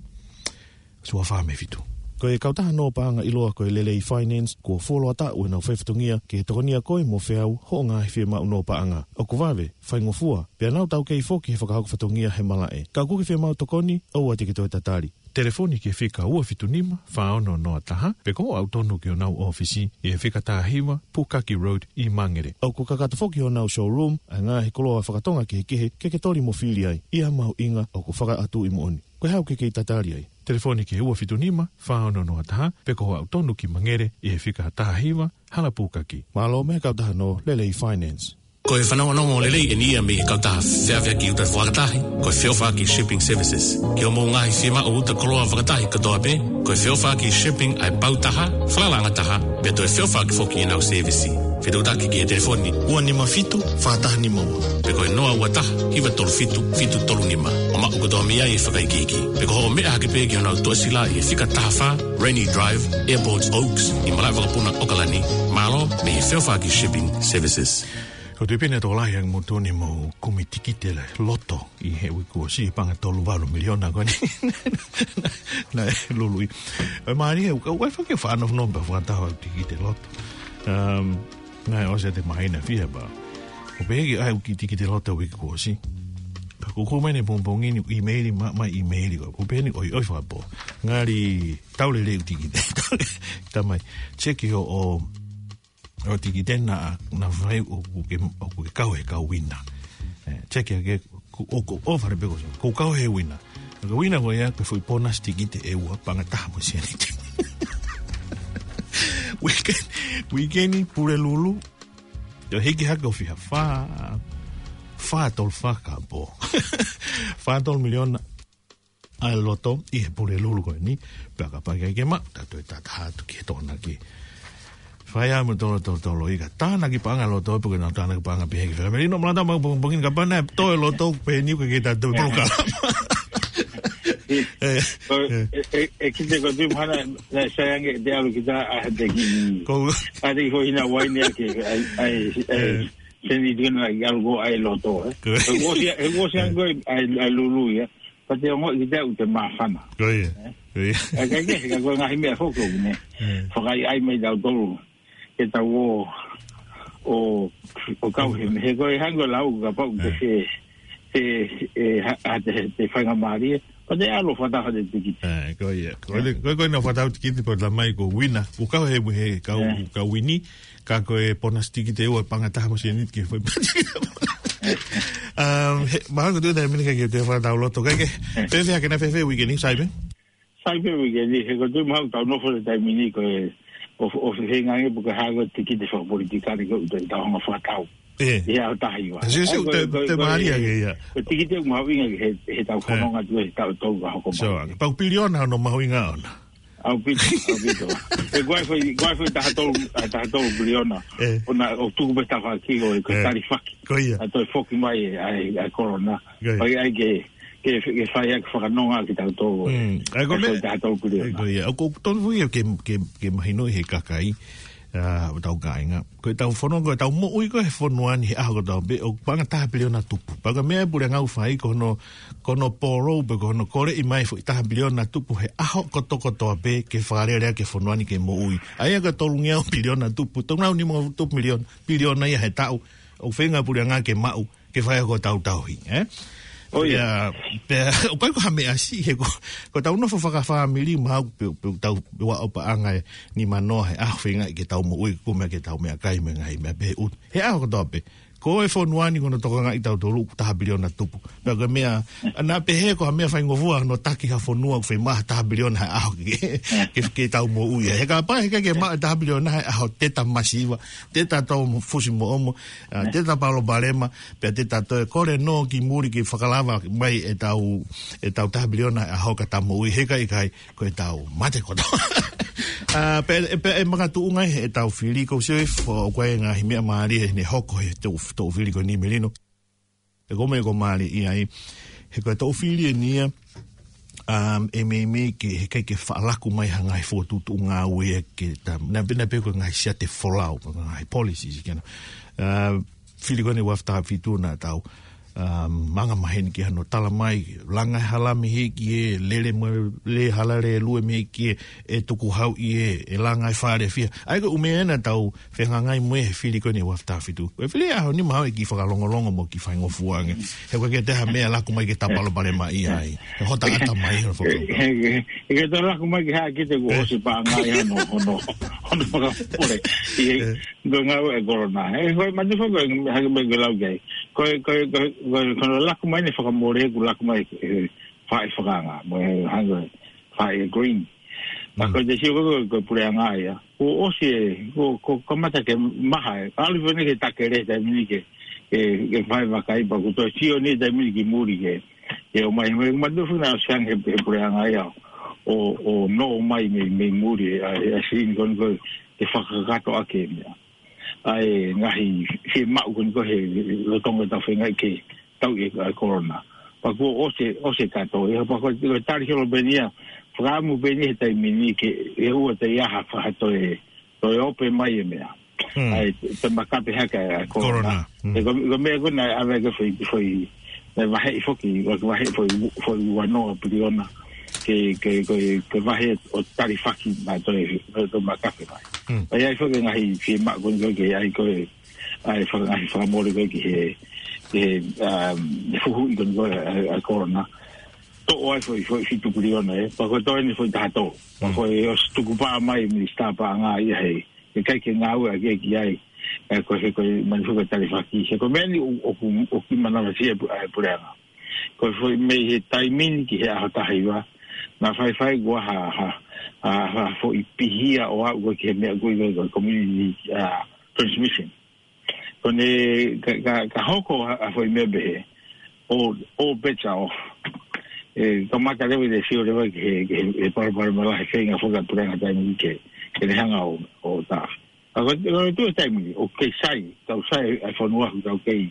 Suafa me fitu. Ko e kautaha nō paʻanga ʻiloa ko e Lelei Finance, kuo fuoloa taʻu ʻenau fai fatongia ke tokonia koe mo feau hoʻo ngaahi fiemaʻu nō paʻanga. ʻOku vave, faingofua, pea nau taukei foki he fakahoko fatongia he malaʻe. Ka ʻoku ke fiemaʻu tokoni, ʻoua te ke toe tatali. Telefoni ki he fika ua fitu nima, fā ono noa taha, pe ko hoʻo aʻu tonu ki honau ʻōfisi ʻi he fika taha hiva, Pukaki Road ʻi Mangere. ʻOku kakato foki honau showroom ʻa e ngaahi koloa fakatonga kehekehe ke ke toli mo fili ai. ʻI ha mahuʻinga ʻoku fakaʻatuʻi moʻoni. Ko e hā ʻoku ke kei tatali ai? Telefoni ki he ua fitu nima, fā ono noa taha, pe ko hoʻo aʻu tonu ki Mangere ʻi he fika taha hiva, Hala Pukaki. Mālō mei he kautaha nō Lelei Finance. Ko e fanongonongo lelei eni ia mei he kautaha feʻaveʻaki uta fakatahi, ko e Feʻofaʻaki Shipping Services. Ki hoʻomou ngaahi fiemaʻu uta koloa fakatahi kotoa pē, ko e Feʻofaʻaki Shipping ʻa e pau taha, falalaʻanga taha, pea toe feʻofaʻaki foki ʻenau sēvisi. Fetuʻutaki ki he telefoni ua nima fitu, fā taha nima ua. Pe ko e noa ua taha, hiva tolu fitu, fitu tolu nima. ʻO maʻu kotoa mei ai e fakaikiiki. Pe ko hoʻo meʻa hake pē ki honau tuʻasila ʻi he fika taha fā, Rainy Drive, Airport Oaks, ʻi Malaʻevakapuna, ʻAokalani. Mālō mei he Feʻofaʻaki Shipping Services. Ko e tui pē naʻe tokolahi ange moutolu ni ʻoku mou kumi tikite loto ʻi he uike kuo ʻosi, paʻanga tolu valu miliona ko eni naʻe lului. ʻE mālie, ʻoku ou fai ke fano no pa fata tikite loto. Um, naʻe ʻosi ʻa e māhina fiha pē. ʻOku pehē ki ai e kiʻi tikite loto uike kuo ʻosi. Ka ʻoku ou kumi eni pongipongi ni ʻimeili, ma, ma ʻimeili ko. ʻOku pehē ni ʻoiʻoi fakapō. Ngali tau lelei e tikite. Tamai, check hoʻo, hoʻo tikite naʻa, naʻa fai ʻoku ke, ʻoku ke kau he kau uina. Eh, check ke, ʻoku, ʻoku ʻofa le peko. ʻOku kau he uina. Ka uina ko ia, ko e foʻi bonus tikite ʻe ua, paʻanga taha mo e sēniti. Uike, uike ni Pulelulu. ʻO hiki hake ʻo fiha, fā, fā tolu fā kapō. Fā tolu miliona ʻa e loto ʻi he Pulelulu ko eni, pea kapau ʻe ʻikai ke maʻu, ta toe tataha atu ki he tokonaki. Fai ʻa e mo tolo, tolo, tolo, ʻikai tānaki paʻanga loto, pe ko e nau tānaki paʻanga pehē ki he fela. Melino, Malata, mau pongipongi ni kapau naʻe toe loto, pehē ni ʻoku ʻikai ke ta toe polokalama. ʻE, ʻe, ʻe, ʻe, ʻe kite ko tui mahana, naʻe sai ange te ʻalu kita ʻa e teki. Ko. ʻA e teki ko hina uaine ake, ʻai, ʻai, ʻai, ʻE. Seni tino ʻai ʻalu ko ʻai loto, ē. Ko. ʻE ʻosi, ʻe ʻosi ange ko ʻai, ʻai lulu ia. Ka te ongoʻi kita ʻoku te māfana. Ko ia. Ē? Ko ia. ʻE, ka ke, ka ko e ngaahi meʻa foki ʻoku ne. ʻE. Fakaʻaiʻai mai tautolu. Ke tau ō, ō, ō kau he, he ko e hangē ko e lau, kapau te ʻE. Te, te, ʻe, ha, ha, te, te faingamālie. Pea te ʻalu fakataha e tikite. Ē, ko ia. Ko ia, ko ia, ko ia naʻa fakataha e tikite pea tala mai ko Wina. Ko e kau he, he kau, ē, kau Wini. Ka ko e ponasi tikite ua paʻanga taha mo e sēniti ke fai pati. Um, he, mahalo ko e tuʻu taimi ni ke te fakataha loto. Ka ke, ē, fēfē hake, naʻe fēfē uike ni, Saipe? Saipe uike ni, he ko e tuʻu mahalo tau nofo he taimi ni ko e, ʻo, ʻo feinga ange pe ko e hā ko e tikite fakapolitikale ko ē ʻoku tau hanga fakatau. Ē. ʻI he ʻaho taha hiva. Sio, sio, ʻa ia ko e, te, ko e, te ko e, mālie ange ia. Ko e tikite ʻoku mahuʻinga he, he ʻetau, ē, fononga atu he taʻu tolu ka hoko mai. Sio, pau piliona hono mahuʻinga ʻona. ʻAupito, ʻaupito. He ko e foʻi, ko e foʻi taha tolu, ʻa, taha tolu piliona. Ē. ʻOna, ʻo tuku pē tafaʻaki ʻo e, ko e, ē, talifaki. Ko ia. ʻA toe foki mai e, ʻa e, ʻa e korona. Ko ia. Pea ʻai ke, ke, ke fai ʻaki fakanonga kitautolu. Mm. ʻA ia ko e, ʻa e meʻa, foʻi taha tolu piliona. Ē, ko ia. ʻOku, ʻoku tonu foki ke, ke, ke mahinoʻi he kakai, ʻa, ʻo tau kāinga. Ko ʻetau fononga, ko ʻetau moʻui ko ē he fonua ni he ʻaho kotoa pē, ʻoku paʻanga taha piliona tupu. Pea ko e meʻa ʻa e puleʻanga ʻoku fai ko hono, ko hono pōrou pe ko hono koleʻi mai foʻi taha piliona tupu he ʻaho kotokotoa pē ke fakalele ʻaki e fonua ni ke moʻui. ʻA ia ko e tolungeau piliona tupu, tolungeau nimangofulu tupu miliona, piliona ia he taʻu, ʻoku feinga e puleʻanga ke maʻu, ke fai ʻaki hotau tauhi, ē? ʻO ia. Pea, pea, ʻoku ʻikai ko ha meʻa siʻi he ko, ko ʻetau nofo fakafāmili mahalo pē, pē ʻoku tau, pē ua ʻo paʻanga ʻe nimanoa he ʻaho feinga ke tau moʻui, ko e meʻa ke tau meʻakai mo e ngaahi meʻa pehē ʻoku. He ʻaho kotoa pē. Ko e fonua ni ko hono tokangaʻi ʻe tautolu ʻoku taha piliona tupu. Pea ko e meʻa, naʻa pehē ko ha meʻa faingofua hono taki ha fonua ʻoku fiemaʻu ha taha piliona he ʻaho ke, ke, ke tau moʻui. He kapau he ʻikai ke maʻu e taha piliona he ʻaho te ta masiva, te ta tō fusi moʻomo, ʻa, te ta palopalema, pea te ta toe kole noa ki muli ke fakalava mai ʻetau, ʻetau taha piliona he ʻaho ka ta moʻui he ʻikai, ʻikai, ko ʻetau mate kotoa. ʻA, pea, pea ʻe makatuʻunga ʻi heʻetau fili ko Sio ʻIfo, ʻoku ʻi ai e ngaahi meʻa mālie ʻe hoko he toʻu, toʻu fili ko eni Melino. ʻE ko e meʻa ʻoku mālie ʻi ai, he ko e toʻu fili eni ia, um, ʻe meimei ke, he ʻikai ke faʻa laku mai ha ngaahi fokotuʻutuʻu ngāue ke ta, naʻa pē, naʻa pē ko e ngaahi siate folau, ko e ngaahi policies ke na. Uh, fili ko eni ua afe taha fitu naʻa tau, um, anga maheni ki hano tala mai, langa e hala mei he ʻEiki ē, lele mo e, lele hala lēlue mei he ʻEiki ē, ʻe tukuhauʻi ē, ʻe langa e fale fiha. ʻA ia ko e ʻū meʻa ena tau fehangahangai mo ia he fili ko eni ua afe taha fitu. Ko e fili ʻaho ni mahalo ʻe kiʻi fakalongolongo mo kiʻi faingofua ange. He ʻoku ʻikai ke toe ha meʻa laku mai ke ta palopalemaʻi ai. He hota ʻata mai hono fakaʻuta. He, he, he ʻikai toe laku mai ke haʻa kite kuo, ē, ʻosi paʻanga ia hono, hono, hono fakapule. ʻI he, ē, ko e ngāue ʻa e korona. He ko e mate foko, hake mai ke lau ki ai. Ko e, ko e, ko e, ko e, ko hono laku mai eni fakamole kuo laku mai, ē, faʻahi fakaanga. Mo e hangē faʻahi green. Pea, mm, ko e te sio ko e, ko e puleʻanga ia. Kuo ʻosi ē, kuo, kuo kamata ke maha ē. ʻAlu pē eni ke takele taimi ni ke, ke, ke fai vakai pea kuo toe sio eni taimi ni ki muli ke, ke ʻomai, mai, mai tuʻu fina ʻosi ange he, he puleʻanga ia. ʻO, ʻo nofo mai mei, mei muli ē, ʻa e, ʻa e sini ko eni ko e, ke fakakakato ʻaki e meʻa. ʻA e ngaahi fiemaʻu ko eni ko ē he lolotonga ʻetau feinga ke tauʻi e, ʻa e korona. Pea kuo ʻosi, ʻosi kātoa ia, pea ko e, ko e tali holo pē eni ia, fakaʻamu pē eni he taimi ni ke, ʻe ʻoua te ʻi ai ha fa-, ha toe, toe ope mai e meʻa. Mm. ʻA e, te makape hake ʻa e korona. Korona. Mm. He ko, ko e meʻa ko ē naʻe ʻave ki he foʻi, foʻi, naʻe vaheʻi foki, vaheʻi foʻi, foʻi ua noa piliona. Ke, ke, ko e, ko e vahe ʻo talifaki naʻe toe, toe, toe makape mai. Mm. ʻA ia ʻi ai foki e ngaahi fiemaʻu ko eni ko ē ke ʻai ko e, ʻai faka-, ngaahi fakamole ko ē ki he, ki he, um, fuhuʻi ko eni ko ē ʻa e, ʻa e korona. Toʻo ai foʻi, foʻi fitu piliona ē. Pea ko e toe eni foʻi taha tolu. Pea, mm, ko e ʻosi tukupā mai Minisitā Paʻanga ia he, he ʻikai ke ngāueʻaki ia ki ai. ʻE, ko e, ko e mani fuka talifaki. He ko e meʻa ni ʻo, ʻoku, ʻoku kiʻi manavasiʻi e pu-, ʻa e puleʻanga. Ko e foʻi mei he taimi ni ki he ʻaho taha hiva. Naʻa faifai kuo ha, ha, ha, ha foʻi pihia ʻo aʻu ko ē ki he meʻa ko ē ko e, ko e community, uh, transmission. Ko ʻene ka, ka, ka hoko ha, ha foʻi meʻa pehē. All, all bets are off. ʻE, kamata leva ʻi he sio leva ki he, ki he, he palopalema lahi he feinga foki ʻa e puleʻanga taimi ni ke, ke ne hanga ʻo, ʻo tā. Ka ko, ko e tuʻu he taimi ni, ʻoku kei sai, tau sai ʻa e fonua ʻoku tau kei,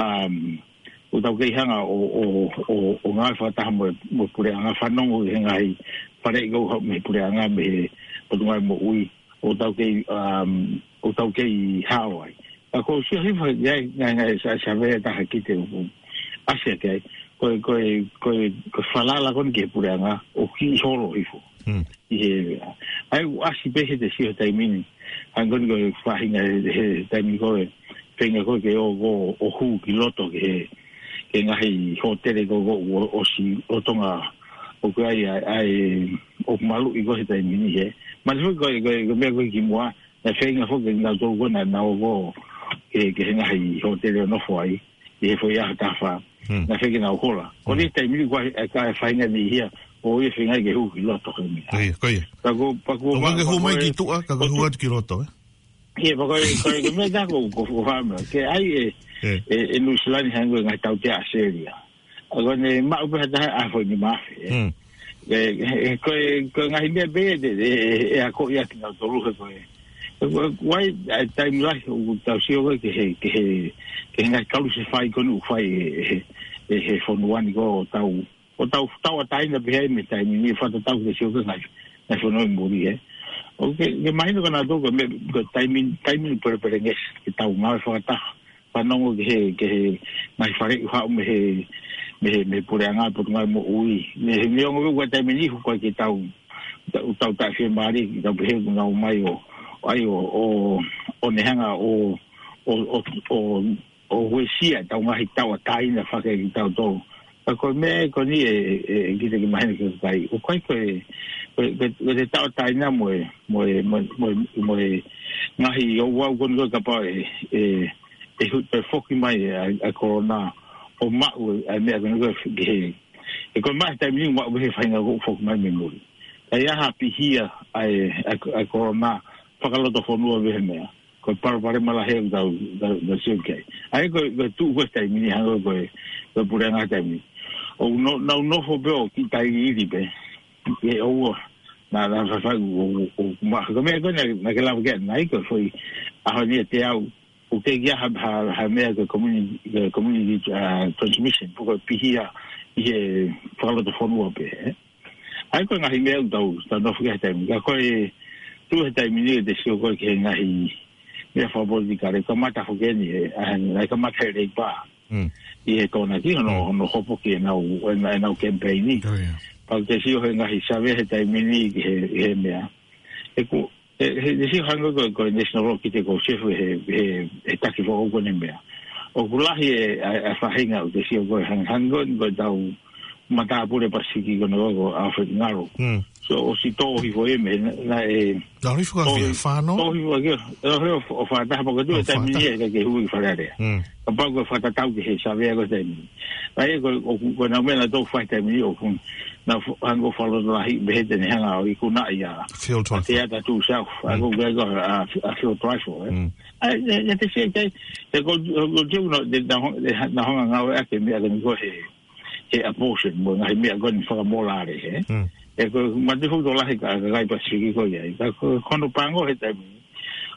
um, ʻoku tau kei hanga ʻo, ʻo, ʻo, ʻo ngāue fakataha mo, mo e puleʻanga fanongo he ngaahi faleʻi ko ē mei he puleʻanga mei he Potungāue Moʻui, ʻoku tau kei, um, ʻoku tau kei hao ai. Ka ʻoku ou sio hifo ki ai, ngaahi, ngaahi sa-, savea ʻe taha ki te u ʻasi ki ai. Ko e, ko e, ko e, ko e falala ko eni ki he puleʻanga, ʻoku kiʻi holo hifo. Hmm. ʻI he, ʻa ia ʻoku ʻasi pē he te sio he taimi ni. Hangē ko eni ko e faʻahinga he, he taimi ko ē, feinga ko ē ke ō, ō, ō hū ki loto ki he, ki he ngaahi hōtele ko ē ʻoku ʻosi lolotonga ʻoku ʻi ai, ʻa e, ʻoku maluʻi ko ē he taimi ni he. Mahalo foki ko e, ko e, ko e meʻa ko ē kimuʻa, naʻe feinga foki kinautolu ko ē naʻa nau ō ko ē ki he, ki he ngaahi hōtele ʻo nofo ai, ʻi he foʻi ʻaho taha fā. Hmm. Naʻe feinga ke nau hola. Ko e Hmm. taimi ni ko e, ʻa e faʻahinga ni ia, ʻoku ʻi ai e feinga ke hū ki loto ko eni. Ko ia, ko ia. Ka ko, ka ko ʻOku ma-, ke ka hū ko mai e ki tuʻa, ka ko ʻoku hū tu- atu ki loto, ē? Ia, pea ko e, ko e, ko e meʻa taha ko, ko, ko fāma. Ke ʻai e, ʻE. e, e Nuʻu Sila ni hangē ko e ngaahi tautea ʻAositelēlia. ʻA ko ʻene maʻu pē ha taha ʻa e foʻi nima afe, ē. Hmm. ʻE, ʻe, ko e, ko e ngaahi meʻa pē ʻe, ʻe, ʻe, ʻe akoʻi ʻaki kinautolu he ko e. ʻE, ko e, ko e, ʻa e taimi lahi ʻoku tau sio ko ē ki he, ki he, ki he ngaahi kalusefai ko eni ʻoku fai ʻe, ʻe, ʻe he fonua ni ko ē ʻo tau ʻo tau, tauʻatāina pē ai mei he taimi ni, fakatatau ki he sio ki he ngaahi, ngaahi fonua ʻi muli, ē. ʻOku ke, ke mahino kinautolu ko e meʻa, ko e taimi, taimi ni pelepelengesi, ke tau ngāue fakataha, fanongo ki he, ki he ngaahi faleʻi ʻoku haʻu mei he, mei he, mei he puleʻanga Potungāue Moʻui. Mei he, mei he ongo ko e taimi ni, ʻoku ʻikai ke tau, tau, tau taʻefiemālie, ke tau pehē ʻoku nau ō mai ʻo, ʻai ʻo, ʻo, ʻo ne hanga ʻo, ʻo, ʻo, ʻo, ʻo uesia ʻetau ngaahi tauʻatāina fakakitautolu. Ka ko e meʻa ko eni ʻe, ʻe, ʻe kiʻi mahino ki he kakai. ʻOku ʻikai ko e, ko e, ko e, ko e tauʻatāina mo e, mo e, mo e, mo e, mo e ngaahi ouau ko eni ko ē kapau ʻe, ʻe, ʻe hu-, ʻe foki mai ʻa e, ʻa e kolona ʻo maʻu ʻa e meʻa ko eni ko ē ki he, ʻe ko e maʻu he taimi ni maʻu he faʻahinga ko ē foki mai mei muli. Ka ʻi ai ha pihia ʻa e, ʻa e, ʻa e kolona fakalotofonua mei he meʻa. Ko e palopalema lahi ʻoku tau, tau, tau sio ki ai. ʻA ia ko e, ko e tuʻu ko ē taimi ni hangē ko e, ko e puleʻanga taimi ni. ʻOku nau, nau nofo pē ʻo kiʻi tailiili pē. ʻE ʻoua. Naʻa, naʻa faifai ʻo, ʻo, ʻo, ma, ko e meʻa ko ē naʻa, naʻa ke lava ki ai, naʻe ʻi ai ko e foʻi ʻaho ni ʻe teau. ʻOku teʻeki ai ha, ha, ha meʻa ko e community, ko e community, uh, transmission. Pe ko e pihia ʻi he fakalotofonua pē, ē. ʻA ia ko e ngaahi meʻa ʻoku tau, tau nofo ki ai he taimi. Ka ko e tuʻu he taimi ni ʻo te sio ko ē ki he ngaahi meʻa fakapolitikale, kamata foki eni, ē, ʻa, ʻa, kamata he Leipa. Mm. ʻI he Tokonaki, hono, Mm. hono hopo ki heʻenau, ʻenau, ʻenau kemipeini. Oh, yeah. Pea te sio he ngaahi savea he taimi ni ki he, he meʻa. ʻE ko, ʻe, he, he sio hangē ko, ko e National Law ki te ko sefu he, he, he taki foʻou ko eni meʻa. ʻOku lahi e, ʻa, ʻa e faʻahinga ʻoku te sio ko e hang-, hangē ko, ko ʻetau matāpule Pasifiki ko eni ko, ko Alfred Ngalo. Mm. So, ʻosi tō hifo ia mei, naʻe, naʻe Tō hifo ka tō fia, hi-, fānau? Tō hifo ka fia, ʻo, ʻo, ʻo fā taha pea ko e tuʻu Oh, he taimi fā ni taha. ʻe ʻikai ke hū ki Fale Alea. Mm. Kapau ko e fakatatau ki he savea ko e taimi ni. ʻA ia ko, ʻo, ko ʻenau meʻa naʻa nau fai taimi ni ʻoku nau f-, hangē ko e fakalotolahiʻi pehē te ne hanga ʻo ikunaʻi ʻa Phil Trifle. ʻA Te Ata Tūsau. ʻA Mm. ko e ko ʻa, ʻa Phil Trifle, ē. Mm. ʻA ia, ʻe, ʻe te sio ki ai, te ko, ko, ko, te uno, te na hong-, te ha-, na hanga ngāueʻaki e meʻa ko eni ko e he, he abortion, mo e ngaahi meʻa ko eni fakamolale, ē. Mm. ʻE ko e mate foki tokolahi ka, ka kai Pasifiki ko ia. Ka ko, ko hono pango he taimi ni.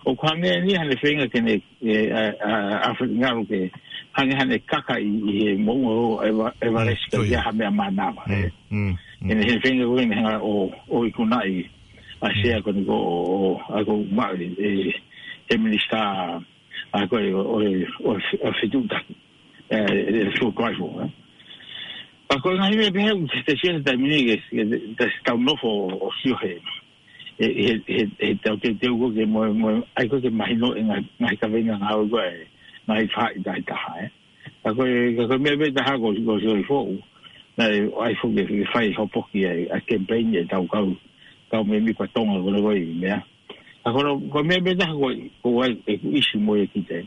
ʻOku hangē ni haʻane feinga ke ne, ʻe, ʻa, ʻa, ʻa Alfred Ngalo ke hangē haʻane kaka ʻi, ʻi he moʻunga ʻo Eva-, Everest Mm, ka ko ia. ʻIa ha meʻa mānava, Mm, ē. mm, mm. Ke ne he feinga ko ē ke ne hanga ʻo, ʻo ikunaʻi ʻa Mm. Sea ko eni ko ʻo, ʻo, ʻa ko ma-, ʻe, ʻe, he minisitā, ʻa ko ē ʻo, ʻo, ʻo, ʻo fetuʻutaki. ʻE, ʻe, Phil Trifle, ē. Ka ko e ngaahi meʻa pehē ʻoku te, te sio he taimi ni ke, ke, te, te tau nofo ʻo sio he, he, he, he, he tau teuteu ko ē ke mo, mo, ʻai ko ē ke mahino e ngaahi, ngaahi kaveinga ngāue ko ē, ngaahi faʻahi taha taha, ē. Ka ko e, ka ko e meʻa pē taha ko, ko sio i foʻu, naʻe ʻai foki ke fai hopoki ai, ʻa e kemipeini ʻetau kau, kau mēmipa Tonga ko eni ko e meʻa. Ka ko e, ko e meʻa pē taha ko, ko e, ʻeku ʻisi mo e ki te.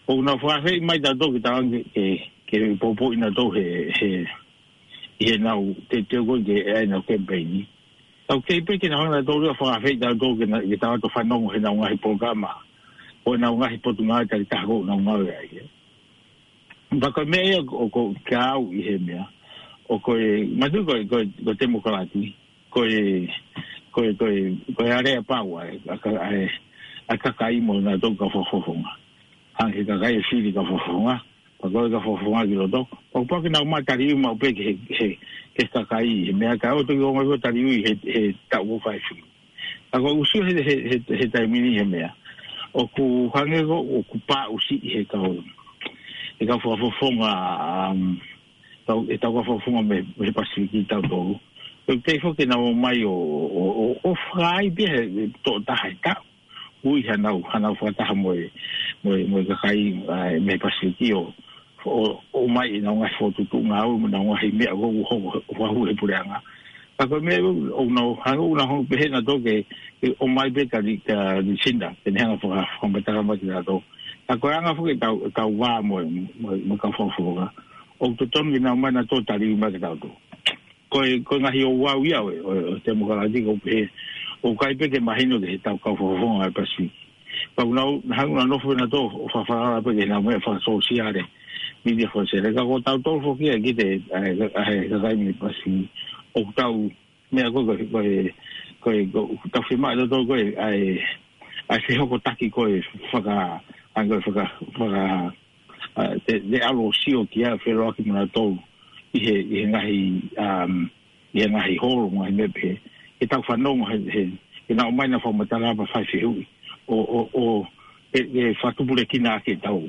ʻOku nau fakaafeʻi mai tautolu ke tau ange ke, ke poupouʻi nautolu he, he, ʻi heʻenau teuteu ko ē ke ʻai ʻenau kemipeini. Tau kei pē ke nau hanga nautolu ʻo fakaafeʻi tautolu ke na, ke tau ō ʻo fanongo heʻenau ngaahi polokalama. ʻO ʻenau ngaahi potungāue takitaha ʻoku nau ngāue ai, ē. Pea ko e meʻa ia ʻoku, ʻoku kau ʻi he meʻa. ʻOku ou manatu ko e, ko e, ko e temokalati. Ko e, ko e, ko e, ko e alea pau ʻa e, ʻa e ka-, ʻa e, ʻa e kakai mo nautolu kau fakafofonga. Hangē he kakai ʻe fili kau fakafofonga. Pea ko e kau fakafofonga ki loto. Pea kuo pau ke nau maʻu taliui maʻu pē ki he, he, he kakai he meʻa ka ʻoku toki ʻomai ko e taliui he, he taʻu ʻoku fai fili. Ka ko e ʻuhinga he, he, he, he taimi ni he meʻa. ʻOku hangē ko, ʻoku pāʻusiʻi he kau, he kau fakafofonga, um, tau, he tau fakafofonga mei, mei he Pasifiki tautolu. ʻOku teʻeki foki ke nau ō mai ʻo, ʻo, ʻo, ʻo fai pē he, he tokotaha he taʻu. Ui hanau, hanau fakataha mo e, mo e, mo e kakai, ʻa, mei he Pasifiki ʻo, ʻo, ʻo ʻomai ʻenau ngaahi fokotuʻutuʻu ngāue mo ʻenau ngaahi meʻa ʻoku, ʻoku, ʻoku, ʻoku hau he puleʻanga. Ka ko e meʻa ʻoku, ʻoku nau hanga, ʻoku nau hanga pehē nautolu ke, ke ʻomai pē kia Li-, kia Lisinda, ke ne hanga faka-, fakamatala mai kia nautolu. Ka ko e anga foki ʻetau, ʻetau vā mo, mo, mo e kau fakafofonga, ʻoku totonu ke nau ō mai nautolu ʻo tali mai kia nautolu. Ko e, ko e ngaahi ouau ia ʻo e, ʻo e, ʻo e temokalati ʻoku pehē, ʻoku ʻikai pē ke mahino ki heʻetau kau fakafofonga ʻi Pasifiki. Pea ʻoku nau, nau hanga ʻo nofo nautolu ʻo fakafalala pē ki heʻenau meʻa fakasōsiale, mītia fakasōsiale. Ka ko tautolu foki ʻa e kite, ʻa e, ʻa e kakai mei Pasifiki, ʻoku tau, meʻa ko e, ko e, ko e, ko e, ʻoku tau fiemaʻu tautolu ko e, ʻa e, ʻa e fehokotaki ko e faka-, ʻa e ko e faka-, faka-, ʻa, te, te ʻalu ʻo sio ki ai ʻo feʻiloaki mo nautolu ʻi he, ʻi he ngaahi, um, ʻi he ngaahi holo, ngaahi meʻa pehē. Ke tau fanongo he, he, ke nau ō mai ʻo fakamatala pea fai fehuʻi. ʻO, ʻo, ʻo, ʻe, ʻe fakatupulekina ʻaki ʻetau,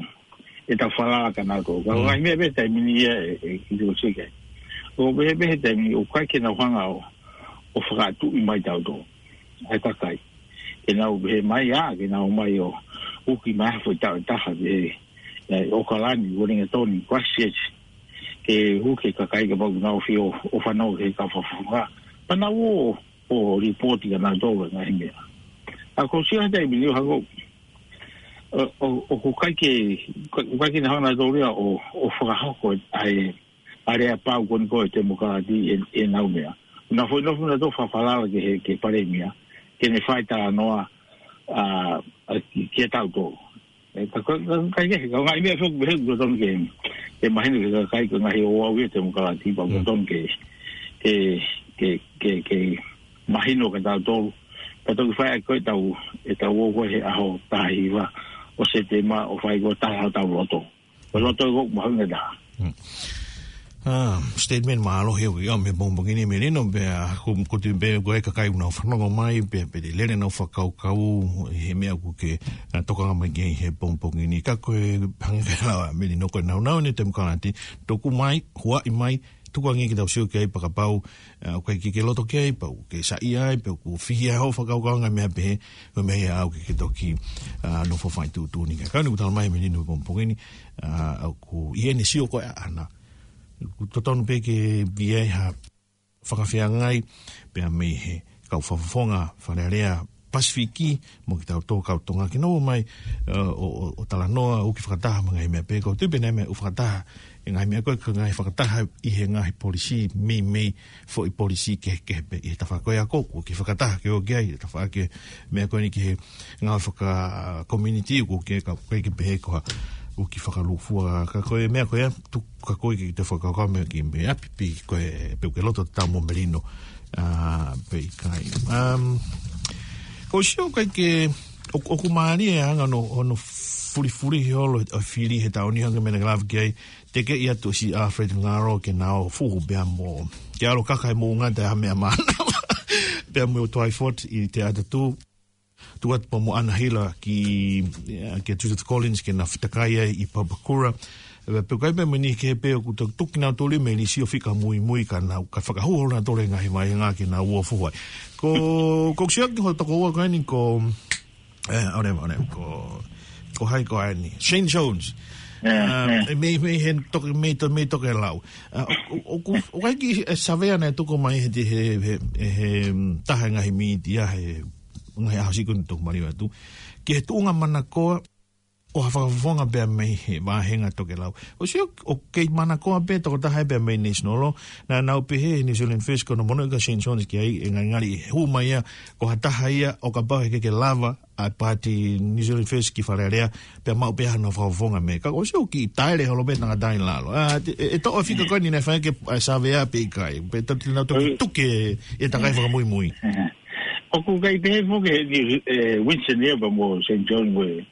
ʻetau falala kia nautolu. Ka ko e ngaahi meʻa pehē taimi ni ia ʻe, ʻe, ʻe, ʻoku pehē, pehē taimi ni ʻoku ʻikai ke nau hanga ʻo, ʻo fakatuʻi mai tautolu ʻa e kakai. Ke nau pehē mai ā, ke nau ō mai ʻo uki mai ha foʻi taʻu ʻe taha, ʻe, ʻe, ʻAokalani, Uelingatoni, Christchurch, ke uki e kakai kapau ʻoku nau fie ō, ʻo fanongo ki he kau fakafofonga. Pea nau ō, ʻo lipooti kia nautolu e ngaahi meʻa. ʻA ko e sio he taimi ni ʻoku hangē, ʻo, ʻo, ʻoku ʻikai ke, ʻikai ke nau hanga nautolu ia ʻo, ʻo fakahoko ʻa e, ʻa e aleapau ko eni ko e temokalati ʻi he, ʻenau meʻa. Nau foʻi nofo nautolu ʻo fakafalala ki he, ki he palēmia, ke ne fai talanoa, ʻa, ʻa, ki, kia tautolu. ʻE, ka, ka, ka, ka, ka, ka ngaahi meʻa foki pehē ʻoku totonu ke, ke mahino ki he kakai ko e ngaahi ouau ia ʻo e temokalati pea ʻoku totonu ke, ke, ke, ke, ke mahino kia tautolu. Ka toki fai ʻaki ko ʻetau, ʻetau ō ko ē he ʻaho taha hiva ʻo Sētemā ʻo fai ko e tala hotau loto. Ko e loto ʻoku mahuʻinga taha. ʻA, statement mālohi ʻoku ʻi ai mei he pongipongi ni Melino, pea ko, ko e tui pē ko e kakai ʻoku nau fanongo mai, pea, pea te lele ʻenau fakakaukau, he meʻa ʻoku ke, ʻa, tokanga mai ki ai he pongipongi ni. Ka ko e hangē ko e lau ʻa Melino ko e nāunau ʻeni ʻo e temokalati, tuku mai, huaʻi mai, tukuange ke tau sio ki ai pea kapau, ʻa, ʻoku ʻikai ke ke loto ki ai, pea ʻoku ke saiʻia ai, pea ʻoku fihi ai hoʻo fakakaukau ngaahi meʻa pehē, ko e meʻa ia ʻoku ke, ke toki, ʻa, nofo fai tuʻutuʻuni ki ai. Ka ʻoku tala mai ʻe Melino he pongipongi ni, ʻa, ʻoku ʻi heʻene sio ko ē ʻaʻana. ʻOku totonu pē ke ʻi ai ha fakafeangai, pea mei he kau fakafofonga Fale Alea Pasifiki, mo kitautolu kau Tonga ke nau ō mai, ʻa, ʻo, ʻo, ʻo talanoa, uki fakataha mo e ngaahi meʻa pehē, ko e tui pē naʻe meʻa ʻoku fakataha, e ngaahi meʻa ko ē, ko e ngaahi fakataha ʻi he ngaahi polisī, meimei foʻi polisī kehekehe pē ʻi he tafaʻaki ko ia ʻoku, ʻoku ke fakataha ke ō ki ai, tafaʻaki meʻa ko eni ki he ngaahi faka-community ʻoku ke ka, ʻoku ke pehē ko ha, ʻoku ke fakalūkufua, ka ko e meʻa ko ia, tuku ka ko e ke te fakakaukau meʻa ki mei ʻapi pe ko e, pe ʻoku ke loto tatau mo Melino, ʻa, pe ʻikai. Um, ʻoku ou sio ʻoku ʻikai ke, ʻoku, ʻoku mālie e anga hono, hono fulifulihi holo ʻo e fili he taʻu ni hangē ko e meʻa naʻa ke lave ki ai, tekeʻi atu ʻe Sir Alfred Ngaro ke na ō fuhu pea mo, ke ʻalu ʻo kaka he moʻunga ʻi ha meʻa mānava. Pea mo Twyford ʻi Te Atatū. Tuku atu pea mo ʻAna Hila ki, ʻa, kia Judith Collins ke na fetakai ai ʻi Papakura. Pea, pea ʻoku ʻi ai pē mo e niʻihi kehe pē ʻoku tukutuku kinautolu mei Lisi ʻo fika muimui ka nau, ka fakahū holo nautolu he ngaahi vāhenga ke nau ō fuhu ai. Ko, ʻoku ou sio ki hoʻo tokoua ko eni ko, ʻe, ʻaore, ʻaore, ko, ko hai ko eni. Shane Jones. ʻE, ʻa, ʻe. Mei, mei he toke, mei to-, mei Tokelau. ʻA, ʻo, ʻo, ʻoku, ʻoku ʻi ai e kiʻi, ʻe, savea naʻe tuku mai he, he, he, he, mm, taha e ngaahi mītia he ngaahi ʻaho siʻi kuo tuku mai atu. Ki he tuʻunga manakoa ʻo ha fakafofonga pea mei he vāhenga Tokelau. ʻOku ou sio ʻoku kei manakoa pē tokotaha ia pea mei National Law. Naʻa nau pehē he New Zealand First ko hono monūʻia ʻa Shane Jones ki ai ʻe ngalingali ʻe hū mai ia ko ha taha ia ʻo kapau heʻikai ke lava ʻa e paati New Zealand First ki Fale Alea, pea maʻu pē hano fakafofonga mei ai. Ka ʻoku ou sio ʻoku kiʻi taele holo pē tangata ʻi lalo. ʻA, ʻe, ʻe toʻo e fika ko eni naʻe fai ʻaki e, ʻa, savea pe ʻikai. Pe tau tili nau toki tuku e, e takai fakamuimui. ʻOku ʻikai pehē foki ʻe, ʻe Winston ia pea mo Shane Jones ko e,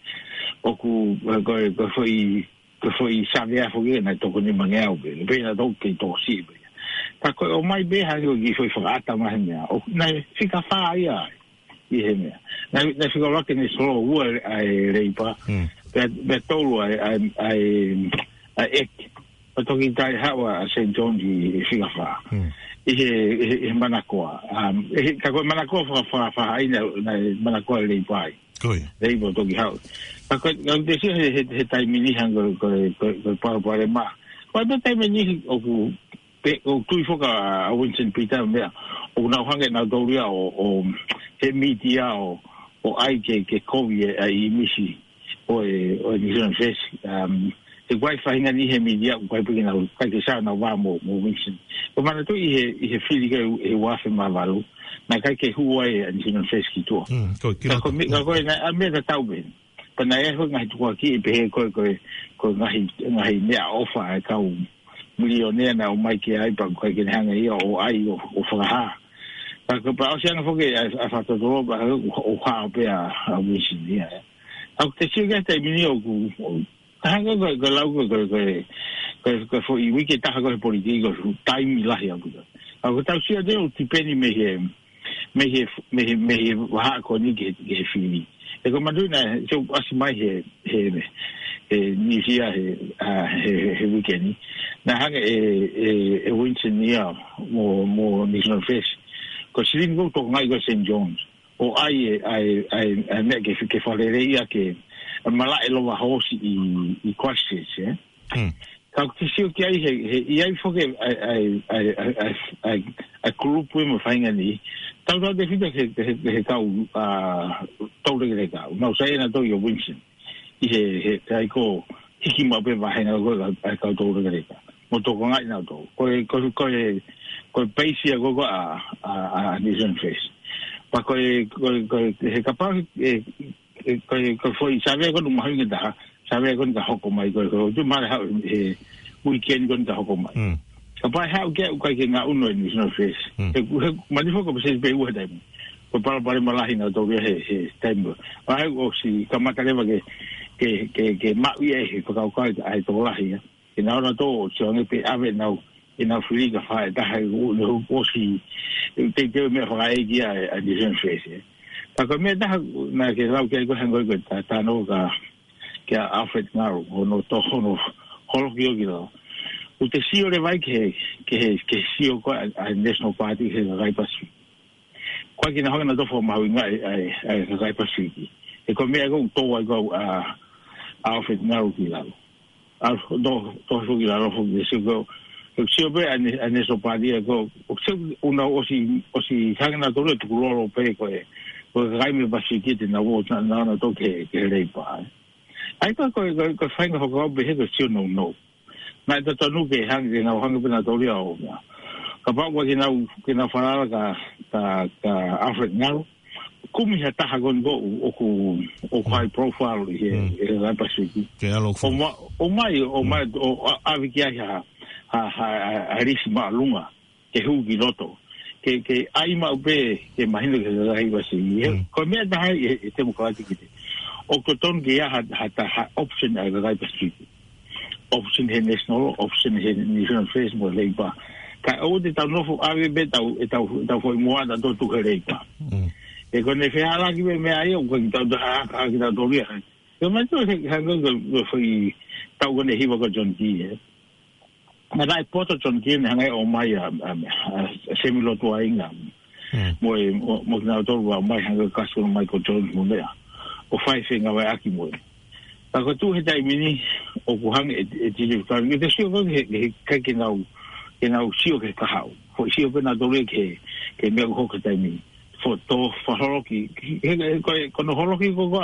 ʻoku, ʻe, ko e, ko e foʻi, ko e foʻi savea foki naʻe toko nimangeau pē. Pea naʻe toko kei toko siʻi pē. Ka ko e ʻomai pē hangē ko e kiʻi foʻi fakaʻata mai he meʻa. ʻOku, naʻe fika fā ia ai. ʻI he meʻa. Naʻe, naʻe fika ʻuluaki National Law, ua ʻa e Labour. Pea, pea tolu ʻa e, ʻa e, ʻa e, ʻa e ʻEiki. Pea toki taʻehaʻu ʻa Shane Jones ʻi, ʻi fika fā. ʻI he, ʻi he, ʻi he manakoa. Um, ʻi he, ka ko e manakoa faka-, faka-, fakafaʻahinga naʻe, naʻe manakoa ʻa e Labour ai. Ko ia. Labour toki haʻu. Ka ko e, ka te sio he, he, he taimi ni hangē ko e, ko e, ko e, ko e palopalema. Pea ko e taimi ʻe niʻihi ʻoku pe-, ʻoku tui foki ʻa Winston Peters meʻa, ʻoku nau hanga ʻe nautolu ia ʻo, ʻo he mītia ʻo, ʻo ʻai ke, ke kovi e, ʻa e ʻīmisi ʻo e, ʻo e New Zealand First. Um, he ʻoku ʻi ai e faʻahinga niʻihi he mītia, ʻoku ʻikai pē ke nau, ʻikai ke sio ʻenau vā mo, mo Winston. Ko e manatuʻi he, ʻi he fili ko ē ʻi he ua afe mā valu, naʻe ʻikai ke hū ai e New Zealand First ki tuʻa. Mm, ko e kila. Ka ko e meʻa, ka ko e, naʻe, ʻa e meʻa tatau pē. Pea naʻe ʻi ai e ngaahi tukuakiʻi pehē ko e, ko e, ko e ngaahi, ngaahi meʻaʻofa ʻa e kau milionea naʻe ō mai ki ai pea ʻikai ke ne hanga ia ʻo ʻai ʻo, ʻo fakahā. Ka ko e pea ʻosi ange foki ʻa e, ʻa e fakatotolo pea ʻo, ʻo hao pē ʻa, ʻa Winston ia. Ka ʻoku te sio ki he taimi ni ʻoku, ʻo, ka hanga ko e, ko e lau ko e, ko e, ko e, ko e, ko e foʻi uike ʻe taha ko e he politiki ko e taimi lahi ʻaupito. Ka ʻoku tau sio atu ʻoku tipeni mei he, mei he, mei he, mei he vahaʻa ko eni ki he, ki he fili. He ko e manatuʻi naʻe, so, ʻasi mai he, he, he news ia he, ʻa, he, he, he weekend ni. Naʻe hanga ʻe, ʻe, ʻe Winston ia mo, mo New Zealand First. Ko e silini ʻoku tokangaʻi ko e Saint John's. ʻO ʻai e, ʻai, ʻai, ʻai meʻa ke, ke fakalelei ia ke malaʻe lova hoosi ʻi, ʻi Christchurch, ē? Mm. Ka ʻoku te sio ki ai he, he, ʻi ai foki ʻa e, ʻa e, ʻa e, ʻa e, ʻa e, ʻa e, ʻa e kulupu ē mo e faʻahinga ni. Tautautefito he, he, he kau, ʻa, toulekeleka. Nau saiʻia nautolu ʻia Winston. ʻI he, he, he ʻai ko e hiki maʻu pē vāhenga ko e, ʻa e kau toulekeleka. Mo tokangaʻi nautolu. Ko e, ko e, ko e, ko e peisi ia ko e, ko e ʻa, ʻa, ʻa New Zealand First. Pea ko e, ko e, ko e, he kapau, e, e, ko e, ko e foʻi sāvea ko eni mahuʻinga taha, sāvea ko eni ka hoko mai ko e, ko e, tu mare hau, e, weekend ko eni ka hoko mai. Mm. Kapau ʻe haʻu ki ai ʻoku ʻikai ke ngaʻunu e New Zealand First. Mm. He, he, manatuʻi foki ko e pēseti pē ʻe ua he taimi. Ko e palopalema lahi nautolu ia he, he taimi. Pea ʻosi kamata leva ke, ke, ke, ke maʻu ia he fakakaukau ʻa e tokolahi ia. Ke nau ō nautolu ʻo sio ange pe ʻave ʻenau, ʻenau fili kae fai ʻe taha ʻi he ʻū, ʻū ʻosi, ʻe teuteu meʻa fakaʻeiki ʻa, ʻa New Zealand First, ē. Ka ko e meʻa ʻe taha naʻa ke lau ki ai ko e hangē ko e ta-, talanoa kia, kia Alfred Ngaru, hono to-, hono holoki ʻo ki lalo. ʻOku te sio leva ai ki he, ki he, ki he sio ko ē ʻa, ʻa e National Party he kakai Pasifiki. Ko e kiʻi hanga nautolu ʻo fakamahuʻingaʻi ʻa e, ʻa e, ʻa e kakai Pasifiki. He ko e meʻa ko ē ʻoku tō ai ko ē ʻa, ʻa Alfred Ngaru ki lalo. ʻA, tō, tō foki ki lalo foki, sio ko ē, sio pē ʻa e, ʻa e National Party ʻa ko ē, ʻoku sio ʻoku nau ʻosi, ʻosi hanga nautolu ʻo tukulolo pē ko e, ko e kakai mei Pasifiki te nau ō, na, na, na tō ki he, ki he Labour, ē. ʻA ia ko e, ko e, ko e faʻahinga fakakaukau pehē ko e sio nounou. Naʻe totonu ke hanga, ke nau hanga pē nautolu ia ʻo meʻa. Kapau ʻoku ʻikai ke nau, ke nau falala kia, kia, kia Alfred Ngaru. Kumi ha taha ko eni ʻoku, ʻoku, ʻoku high profile ʻi he, Mm. ʻi he kakai Pasifiki. Ke ʻalu ʻo ʻOmai, ʻomai, Mm. ʻo, ʻo, ʻave ki ai ha, ha, ha, ha, ha lisi māʻolunga. Ke hū ki loto. Ke, ke ʻai maʻu pē, ke mahino ki he kakai Pasifiki. Mm. Ko e meʻa ʻe taha ʻi he, he Democratic ē. ʻOku totonu ke ʻi ai ha, ha, ha, ha option ʻa e kakai Pasifiki. Option he National, option he New Zealand First mo Labour. Ka ʻoua te tau nofo ʻave pē ʻetau, ʻetau, ʻetau foʻi moana ʻo tuku he Labour. Mm. He ko ʻene fehālaaki pē meʻa ia, ʻoku ʻikai ke tau ta ha, ha, ke tau tōlia. Ko e meʻa ko ē, he, he, ko e, ko e foʻi tau ko eni hiva ko John Key, ē. Naʻe poto John Key ʻene hanga ʻo ʻomai ʻa, ʻa, ʻa Semi Lotuaiga. Mm. Mo e, mo, mo kinautolu ʻoku ʻomai hangē ko Kasifulu Michael Jones mo meʻa. ʻO fai fengāueʻaki mo ia. Ka ko e tuʻu he taimi ni ʻoku hanga ʻe, ʻe Titi Fekau. Ke te sio ko ē he, he, ke, ke nau, ke nau sio ki he kahaʻu. Ko e sio ko ē nautolu ki he, ki he meʻa ko ē he taimi ni. Fo-, tō fakaholoki. He, he, ko e, ko hono holoki ko ē ʻa,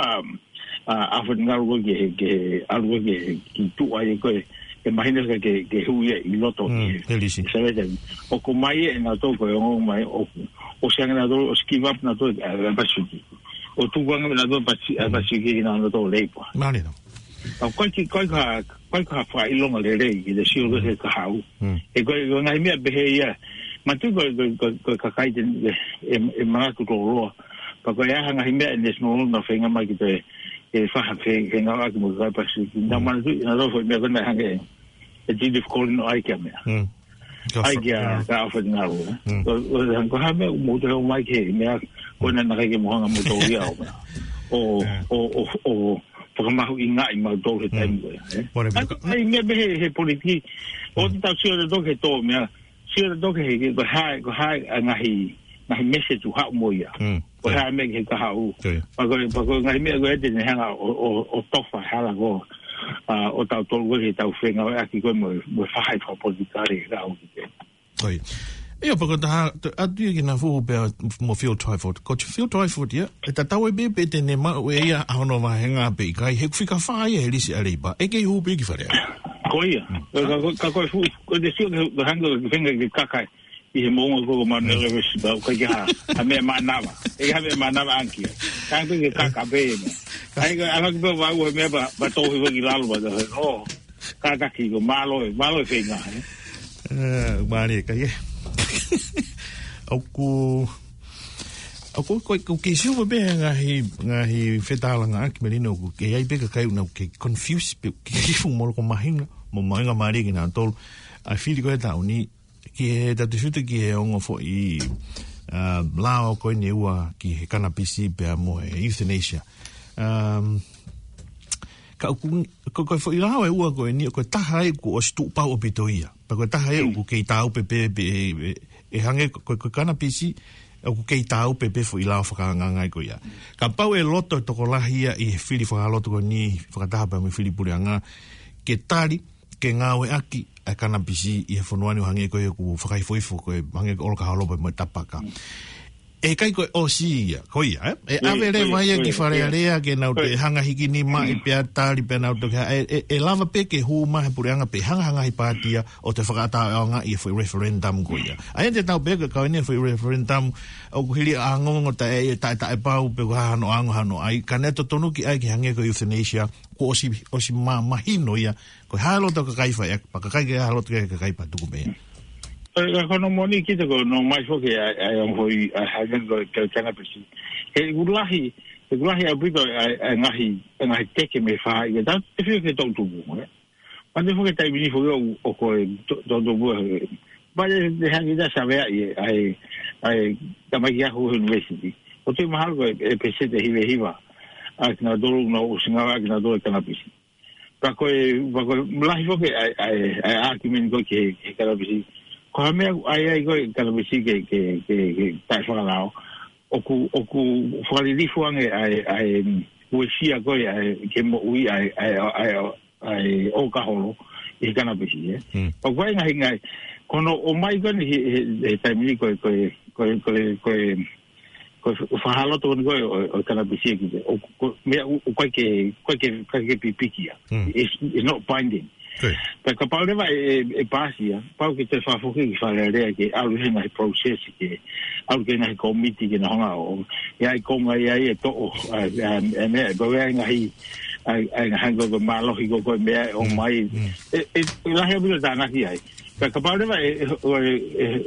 ʻa, ʻa Alfred Ngaru ko ē ki he, ki he, ʻalu ko ē ki he, ki tuʻa ia ko ē, ʻe mahino ke, ke, ke hū ia ʻi loto Mm, ki he, he lisi. ʻi he sāvea. ʻOku ʻomai ʻe nautolu ko e ongo mai ʻo, ʻosi ange nautolu, ʻosi give up nautolu, ʻa, ʻa Pasifiki. ʻO tuku ange nautolu Pasi-, ʻa Mm. Pasifiki ki nautolu Labour. Mālie. ʻA, ko e kiʻi, ko e ka, ko e ka fakaʻilonga lelei, ki he sio ko ē he kahaʻu. Mm. ʻE ko e, ko e ngaahi meʻa pehē ia. Manatuʻi ko e, ko e, ko e, ko e kakai te, ʻe, ʻe, ʻe manatu lōloa. Pea ko e hā ha ngaahi meʻa ʻe National na feinga mai ke toe, ʻe faha fe-, fengāueʻaki mo e kakai Pasifiki. Nau Mm. manatuʻi, naʻa nau foʻi meʻa ko ē naʻe hanga ʻe, ʻe Judith Collins ʻo ʻai ki he meʻa. Mm. Ka ʻAi fa-, kia, mm. kia Alfred Ngaru, ē. Mm. Ko, ko, ko e hā e meʻa ʻoku mou toe ʻomai ki he meʻa, ko ena naʻe ʻikai ke mou hanga ʻo mou tōlia ʻo meʻa. ʻO, Yeah. ʻo, ʻo, ʻo fakamahuʻingaʻi mautolu he Mm. taimi ko ē, ē. Whatever. ʻAi, ʻai meʻa pē he, he politiki. ʻOua Mm. te tau sio tautolu ki he tō meʻa. Sio tautolu ki he, ki he, ko e hā, ko e hā e ngaahi, ngaahi message ʻoku haʻu mo ia. Mm. Ko e Yeah. hā e meʻa ki he kahaʻu. Yeah. Pea ko e, pea ko e ngaahi meʻa ko ē te ne hanga ʻo, ʻo, ʻo tofa hala ko ē. ʻa, ʻo tautolu ko ē he tau fengāueʻaki ko ē mo, mo e faʻahi fakapolitikale ʻa ʻoku te. ʻOi. ʻIo, pea ko e taha, atu ia ki he fuhu pea mo Phil Twyford. Ko Phil Twyford ia, ʻe tatau ai pē pe te ne maʻu ʻe ia ʻa hono vāhenga pe ʻikai, he ʻoku fika fā ia he lisi ʻa Leipa. ʻE kei hū pē ki Fale Alea. Ko ia. Ka, ka, ka ko e fuhu, ko e te sio ke, ke hanga ki he fenga ke kaka ʻi he moʻunga ko ē ko Mount Everest, pea ʻoku ʻikai ke ha, ha meʻa mānava. ʻIkai ha meʻa mānava ankia. Ka ʻoku ʻikai ke kaka pē ia. ʻAi, ka, ʻa ki pē vau he meʻa pea, pea tohi ko ē ki lalo pea, oh, kātaki ko e mālō ē, mālō e feinga, ē. Eh, mālie ka ia. ʻOku, ʻoku, ʻoku, ʻoku kei sio pē he ngaahi, ngaahi fetālangaʻaki Melino ʻoku kei ʻi ai pē kakai ʻoku nau kei confuse pē, kei fuʻu moloko mahino, mo mahuʻinga mālie kinautolu. ʻA e fili ko ē he taʻu ni, ki he tatu suta ki he ongo foʻi, uh, lao ko eni ʻe ua ki he kanapisi pea mo e euthanasia. Um, ka ʻoku, ko, ko e foʻi lao ʻe ua ko eni, ko e taha ē ʻoku ʻosi tuʻu pau ʻaupito ia. Pea ko e taha ē ʻoku kei tāupe pē, pē, ʻe, ʻe hangē ko, ko, ko e kanapisi, ʻoku kei tāupe pē foʻi lao fakaangaanga ko ia. Kapau ʻe loto e tokolahi ia ʻi he fili fakaloto ko eni, fakataha pea mo e fili puleʻanga, ke tali, ke ngāueʻaki ʻa e kanapisi ʻi he fonua ni ʻo hangē ko ia ʻoku fakaifoifo ko ē, hangē ko e ʻolokaholo pea mo e tapaka. ʻE ʻikai ko e ʻosi ia, ko ia, ē? ʻE ʻave leva ia ki Fale Alea ke nau toe hanga hiki nima ʻi pea tali pea nau toe ha-, ʻe, ʻe, ʻe lava pē ke hū mai he puleʻanga pe hanga ha ngaahi pāti ia ʻo toe fakaʻatā ʻo ʻaonga ʻi he foʻi referendum ko ia. ʻA ia te tau pehē ko e kau eni foʻi referendum ʻoku hili ʻa e ongoongo taʻe, ʻe taʻe, taʻe pau pe ko e hā hono ongo hano ʻai, ka ne totonu ke ʻai ke hangē ko e euthanasia, kuo ʻosi, ʻosi ma-, mahino ia, ko e hā e loto ʻa e kakai fai, pea kakai ke hā e loto ʻa e kakai pea tuku mei ai. ʻE, ka ko hono moʻoni kita ko hono ʻomai foki ʻa e, ʻa e ongo foʻi, ʻa e hangē ko e, ko e kanapisi. He ʻoku lahi, he ʻoku lahi ʻaupito ʻa e, ʻa e ngaahi, ʻa e ngaahi teke mei he faʻahi, ka tau te fio ke tau tuku, ē. Mate foki taimi ni foki ʻo, ʻo ko e to-, to-, to-, mo e, mate te hangē ta savea ʻi he, ʻa e, ʻa e, tamaiki ako university. ʻOku te mahalo ko e, ʻe peseti ʻe hiva hiva. ʻA kinautolu ʻoku nau ʻosi ngāueʻaki kinautolu e kanapisi. Pea ko e, pea ko e lahi foki ʻa e, ʻa e, ʻa e argument ko ē ki he, ki he kanapisi. Ko ha meʻa ʻoku ʻai ai ko ē kanapisi ke, ke, ke, ke taʻefakalao. ʻOku, ʻoku fakalilifu ange ʻa e, ʻa e, uesia ko ē ʻa e, ke moʻui ʻa e, ʻa e, ʻa e, ʻa e ʻolokaholo ʻi he kanapisi, ē. Mm. ʻOku ʻi ai e ngaahi, ngaahi, ko hono ʻomai ko eni he, he, he taimi ni ko e, ko e, ko e, ko e, ko e, ko e fakahaloto ko eni ko ē ʻo, ʻo e kanapisi ē ki te. ʻO, ko, meʻa ʻoku, ʻoku ʻikai ke, ʻikai ke, ʻikai ke pipiki ia. Mm. It's, it's not binding. Ko ia. Pea kapau leva ʻe, ʻe, ʻe pāsi ia, pau ke te fakafoki ki Fale Alea ke ʻalu he ngaahi process ke, ʻalu ki he ngaahi kōmiti ke nau hanga ʻo, ʻi ai e konga ia ʻe toʻo, ʻa, ʻa, ʻa, meʻa, pau ʻe ʻi ai e ngaahi, ʻa, ʻa, ngaahi ko e mālohi ko ē ko e meʻa ʻe ʻomai. Mm. ʻE, ʻe, ʻe lahi ʻaupito tānaki ai. Ka kapau leva ʻe, ʻe, ʻe,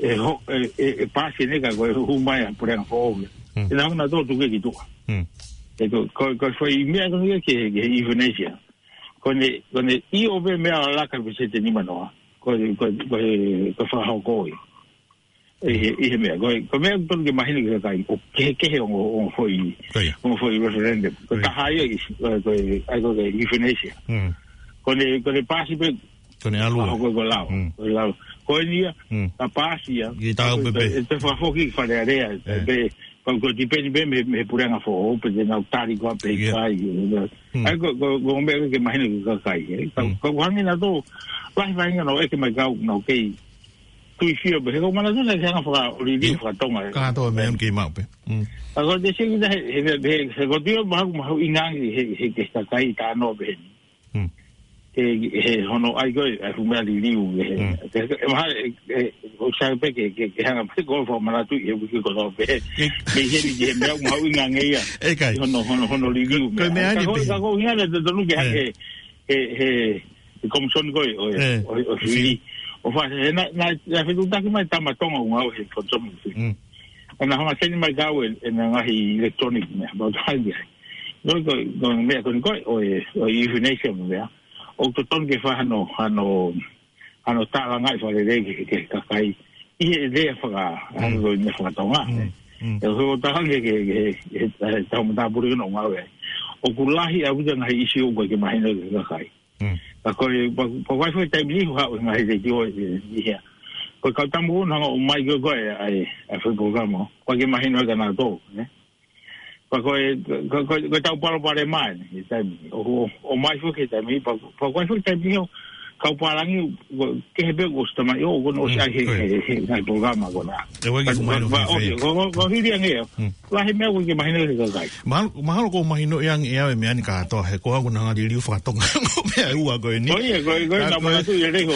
ʻe, ʻe, ʻe, ʻe pāsi eni ka ko e hū mai ʻa e puleʻanga foʻou. Mm. ʻE nau hanga ʻo tuku ki tuʻa. Mm. ʻE ko, ko, ko e foʻi meʻa ko eni ki he, ki he euthanasia. Ko ʻene, ko ʻene ʻio pē meʻa ʻo laka peseti ʻe nimanoa. Ko, ko, ko, ko e fakahoko ia. ʻI he, ʻi he meʻa, ko e, ko e meʻa ʻoku totonu ke mahino ki he kakai, ʻoku kehekehe ongo, ongo foʻi, ko ia, ongo foʻi referendum. Ko e, ko ia, taha ia ʻi, ko e, ko e, ʻa ia ko e euthanasia. Mm. Ko ʻene, ko ʻene pāsi pē, ko ʻene ʻalu, ʻa, ko e, ko e lao, mm, ko e lao. Ko eni ia, mm, ka pāsi ia, ke tāupe pē, ʻe toe fakafoki ki Fale Alea, ē, pē, ko, ko e tipeni pē mei, mei he puleʻanga foʻou, pe te nau tali ko ē pe, ia, ʻikai, ē. Mm. ʻA ia ko, ko, ko e meʻa ke mahino ki he kakai, ē. Ka, mm, ka ʻoku hangē nautolu, lahi faʻahinga naʻe ʻeke mai kiate au, naʻa ku kei tui sio pē, he ʻoku ou manatu naʻe hanga ʻo fakaliliu, ia, fakatonga, ē. Kātoa meʻa ʻoku kei maʻu pē. Mm. ʻA ia ko e te sio ki he, he, he, he, he ko e tio mahu, mahuʻinga ange he, he, he kakai talanoa pehē ni. Mm. He, he hono ʻai ko ē, ʻa e fuʻu meʻa liliu, he, mm, he, he, he, mahalo, he, he, ʻoku sai pē ke, ke, ke hanga pē ko e fakamanatu ʻi he uike kotoa pē. Ke, mei heni ki he meʻa mahuʻinga ange ia. ʻE ʻikai. Hono, hono, hono liliu ko e meʻa. Meʻa ka ni ko e, pē, ka ko e ʻuhinga naʻe totonu ke, ē, he, he, he, he komisoni ko ē, ʻo e, ē, ʻo e, ʻo e fili. Fili. ʻO fa-, he naʻa, naʻa, naʻe fetuʻutaki mai e tama Tonga ʻoku ngāue he komisoni fili. Mm. ʻO na hanga ʻo send mai kiate au e, ʻene ngaahi electronic meʻa, about time ai. Ko e, ko e, ko e meʻa ko eni ko ē, ʻo e, ʻo e euthanasia mo e meʻa. ʻOku totonu ke fai hano, hano, hano tālangaʻi fakalelei ki he, ki he kakai. ʻI he lea faka-, mm, hano ko e meʻa fakatonga. Mm, mm. ʻE, ʻoku totonu ke, ke, ke, ke, ʻe, tau matāpule ʻoku ngāue ai. ʻOku lahi ʻaupito e ngaahi ʻīsiu ʻoku ʻikai ke mahino ki he kakai. Mm. Ka ko e, pa, pa vai fo e taimi ni, ha, ngaahi letiō, ē, ʻi hea. Ko e kau tama ʻoku nau hanga ʻo ʻomai ko ē, ko ē, ʻa e, ʻa e foʻi polokalama. ʻOku ʻikai ke mahino kiate kinautolu, ē. Ko Pea ko e, ko, ko, ko e tau palopalema eni, he taimi. ʻO, ʻo, ʻomai foki he taimi, pea, pea ko e foki taimi ʻo, kau pālangi, ko, kehe pē ko ʻosi tamai, ʻo, ko ʻosi ʻai he, he, he, ngaahi polokalama ko ena. ʻE, ʻoku ʻikai ke mahino pea, pea, ʻosi, ko, ko, ko hili ange ʻo. Lahi meʻa ʻoku ʻikai ke mahino ki he kakai. Mahalo, mahalo ʻoku mahino ia ange ʻe au e meʻa ni kātoa, he ko au naʻa ngali liu fakatoka meʻa ua ko eni. Ko ia, ko, ko, ka nau ko e manatu ʻi he leho,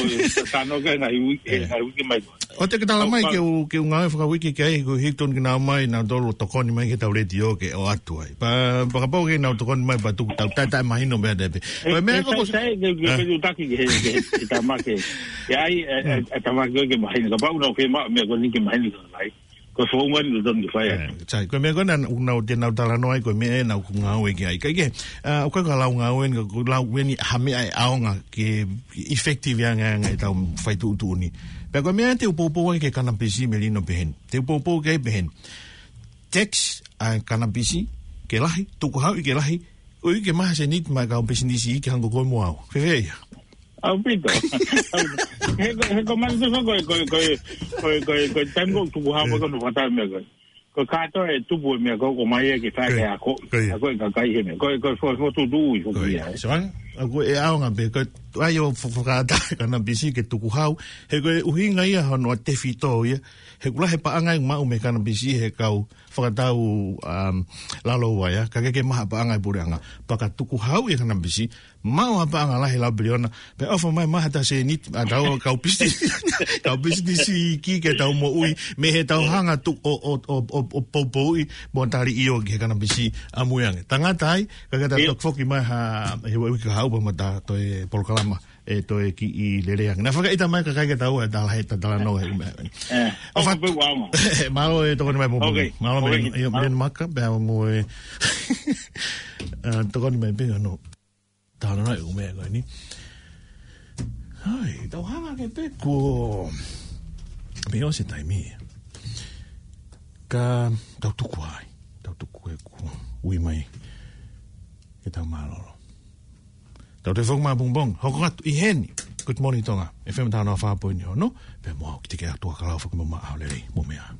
tano ke ngaahi uike, ngaahi uike mai. ʻOua te ke tala mai ke u, ke u ngāue fakauike ki ai, ko Hilton ke nau mai, nautolu ʻo tokoni mai ki heʻetau letiō ke ʻoatu ai. Pea, pea kapau ke nau tokoni mai, pea tuku tau, taʻe, taʻe mahino meʻa tepe. Ko e meʻa ko, sai, sai, ke, ke, ke u taki ke, ke, ke tamake. ʻE ʻai, e, e, e tamake ke mahino. Kapau nau ke ma, meʻa ko eni ke mahino ki he kakai. Ko e founga ni ʻoku totonu ke fai ai. Sai, ko e meʻa ko ena, ʻoku nau te nau talanoa ai, ko e meʻa ena ʻoku ngāue ki ai. Ka ʻikai ke, ʻoku ʻikai ko e lau ngāue ni, ka ko e lau eni ha meʻa ʻe ʻaonga ke effective ange ange ʻetau fai tuʻutuʻuni. Pea ko e meʻa te u poupou ai ki he kanapisi melino peheni. Te u poupou ki ai peheni. Tax ʻa e kanapisi ke lahi, tukuhau ʻi ke lahi, ʻoku ʻikai ke maha seniti maʻa e kau pisinisi iiki hangē ko koe mo au. Fēfē ia? ʻAupito. He ko, he ko manu tufa ko, ko, ko, ko, ko, ko, taimi ko tukuhau ko no fata meʻa ko. Ko kātoa e tupu e meʻa ko, ko mai e ke fai ke ako. Ko ia. Ako e kakai he meʻa. Ko, ko, ko, ko tutu ui, ko ia. So, ʻoku ʻe ʻaonga pē, ko ai ʻo fo-, fakaʻatā e kanapisi ke tukuhau. He ko e ʻuhinga ia hono ʻa tefito ia. He ʻoku lahi e paʻanga ʻe maʻu mei he kanapisi he kau fakatau, um, lalo ua ia. Ka ʻikai ke maha paʻanga e puleʻanga. Pea ka tukuhau e kanapisi, maʻu ha paʻanga lahi lau piliona, pea ʻofa mai maha ta seniti, ʻa tau kau pisinisi, kau pisinisi iiki ke tau moʻui, mei heʻetau hanga tu-, ʻo, ʻo, ʻo, ʻo, ʻo poupouʻi, mo tali ʻio ki he kanapisi ʻamui ange. Tangata ai, ka ke ta toki foki mai ha, he uike kahaʻu pea mo ta toe polokalama, ʻe toe kiʻi lelei ange. Naʻa fakaʻita mai kakai ke tau, ʻe tala he, ta talanoa he ume. ʻE, ʻofa pē ua ma. Mālō e tokoni mai mo. Ok. Mālō meʻa, ʻio, meʻa maka, pea mo e, ʻa, tokoni mai pē, no. Talanoa e ʻū meʻa ko eni. Hai, tau hanga ke pē ko. Pea ʻosi e taimi. Ka tau tuku ai. Tau tuku e ku. Ui mai. Ke tau mālōlō. Tau te fong mā pong pong. Hoko atu ʻi heni. Good morning, Tonga. F M taha noa fā poini ono. Pea mo au ki te ke atu a kalau faki mo mā au lelei. Mo meʻa.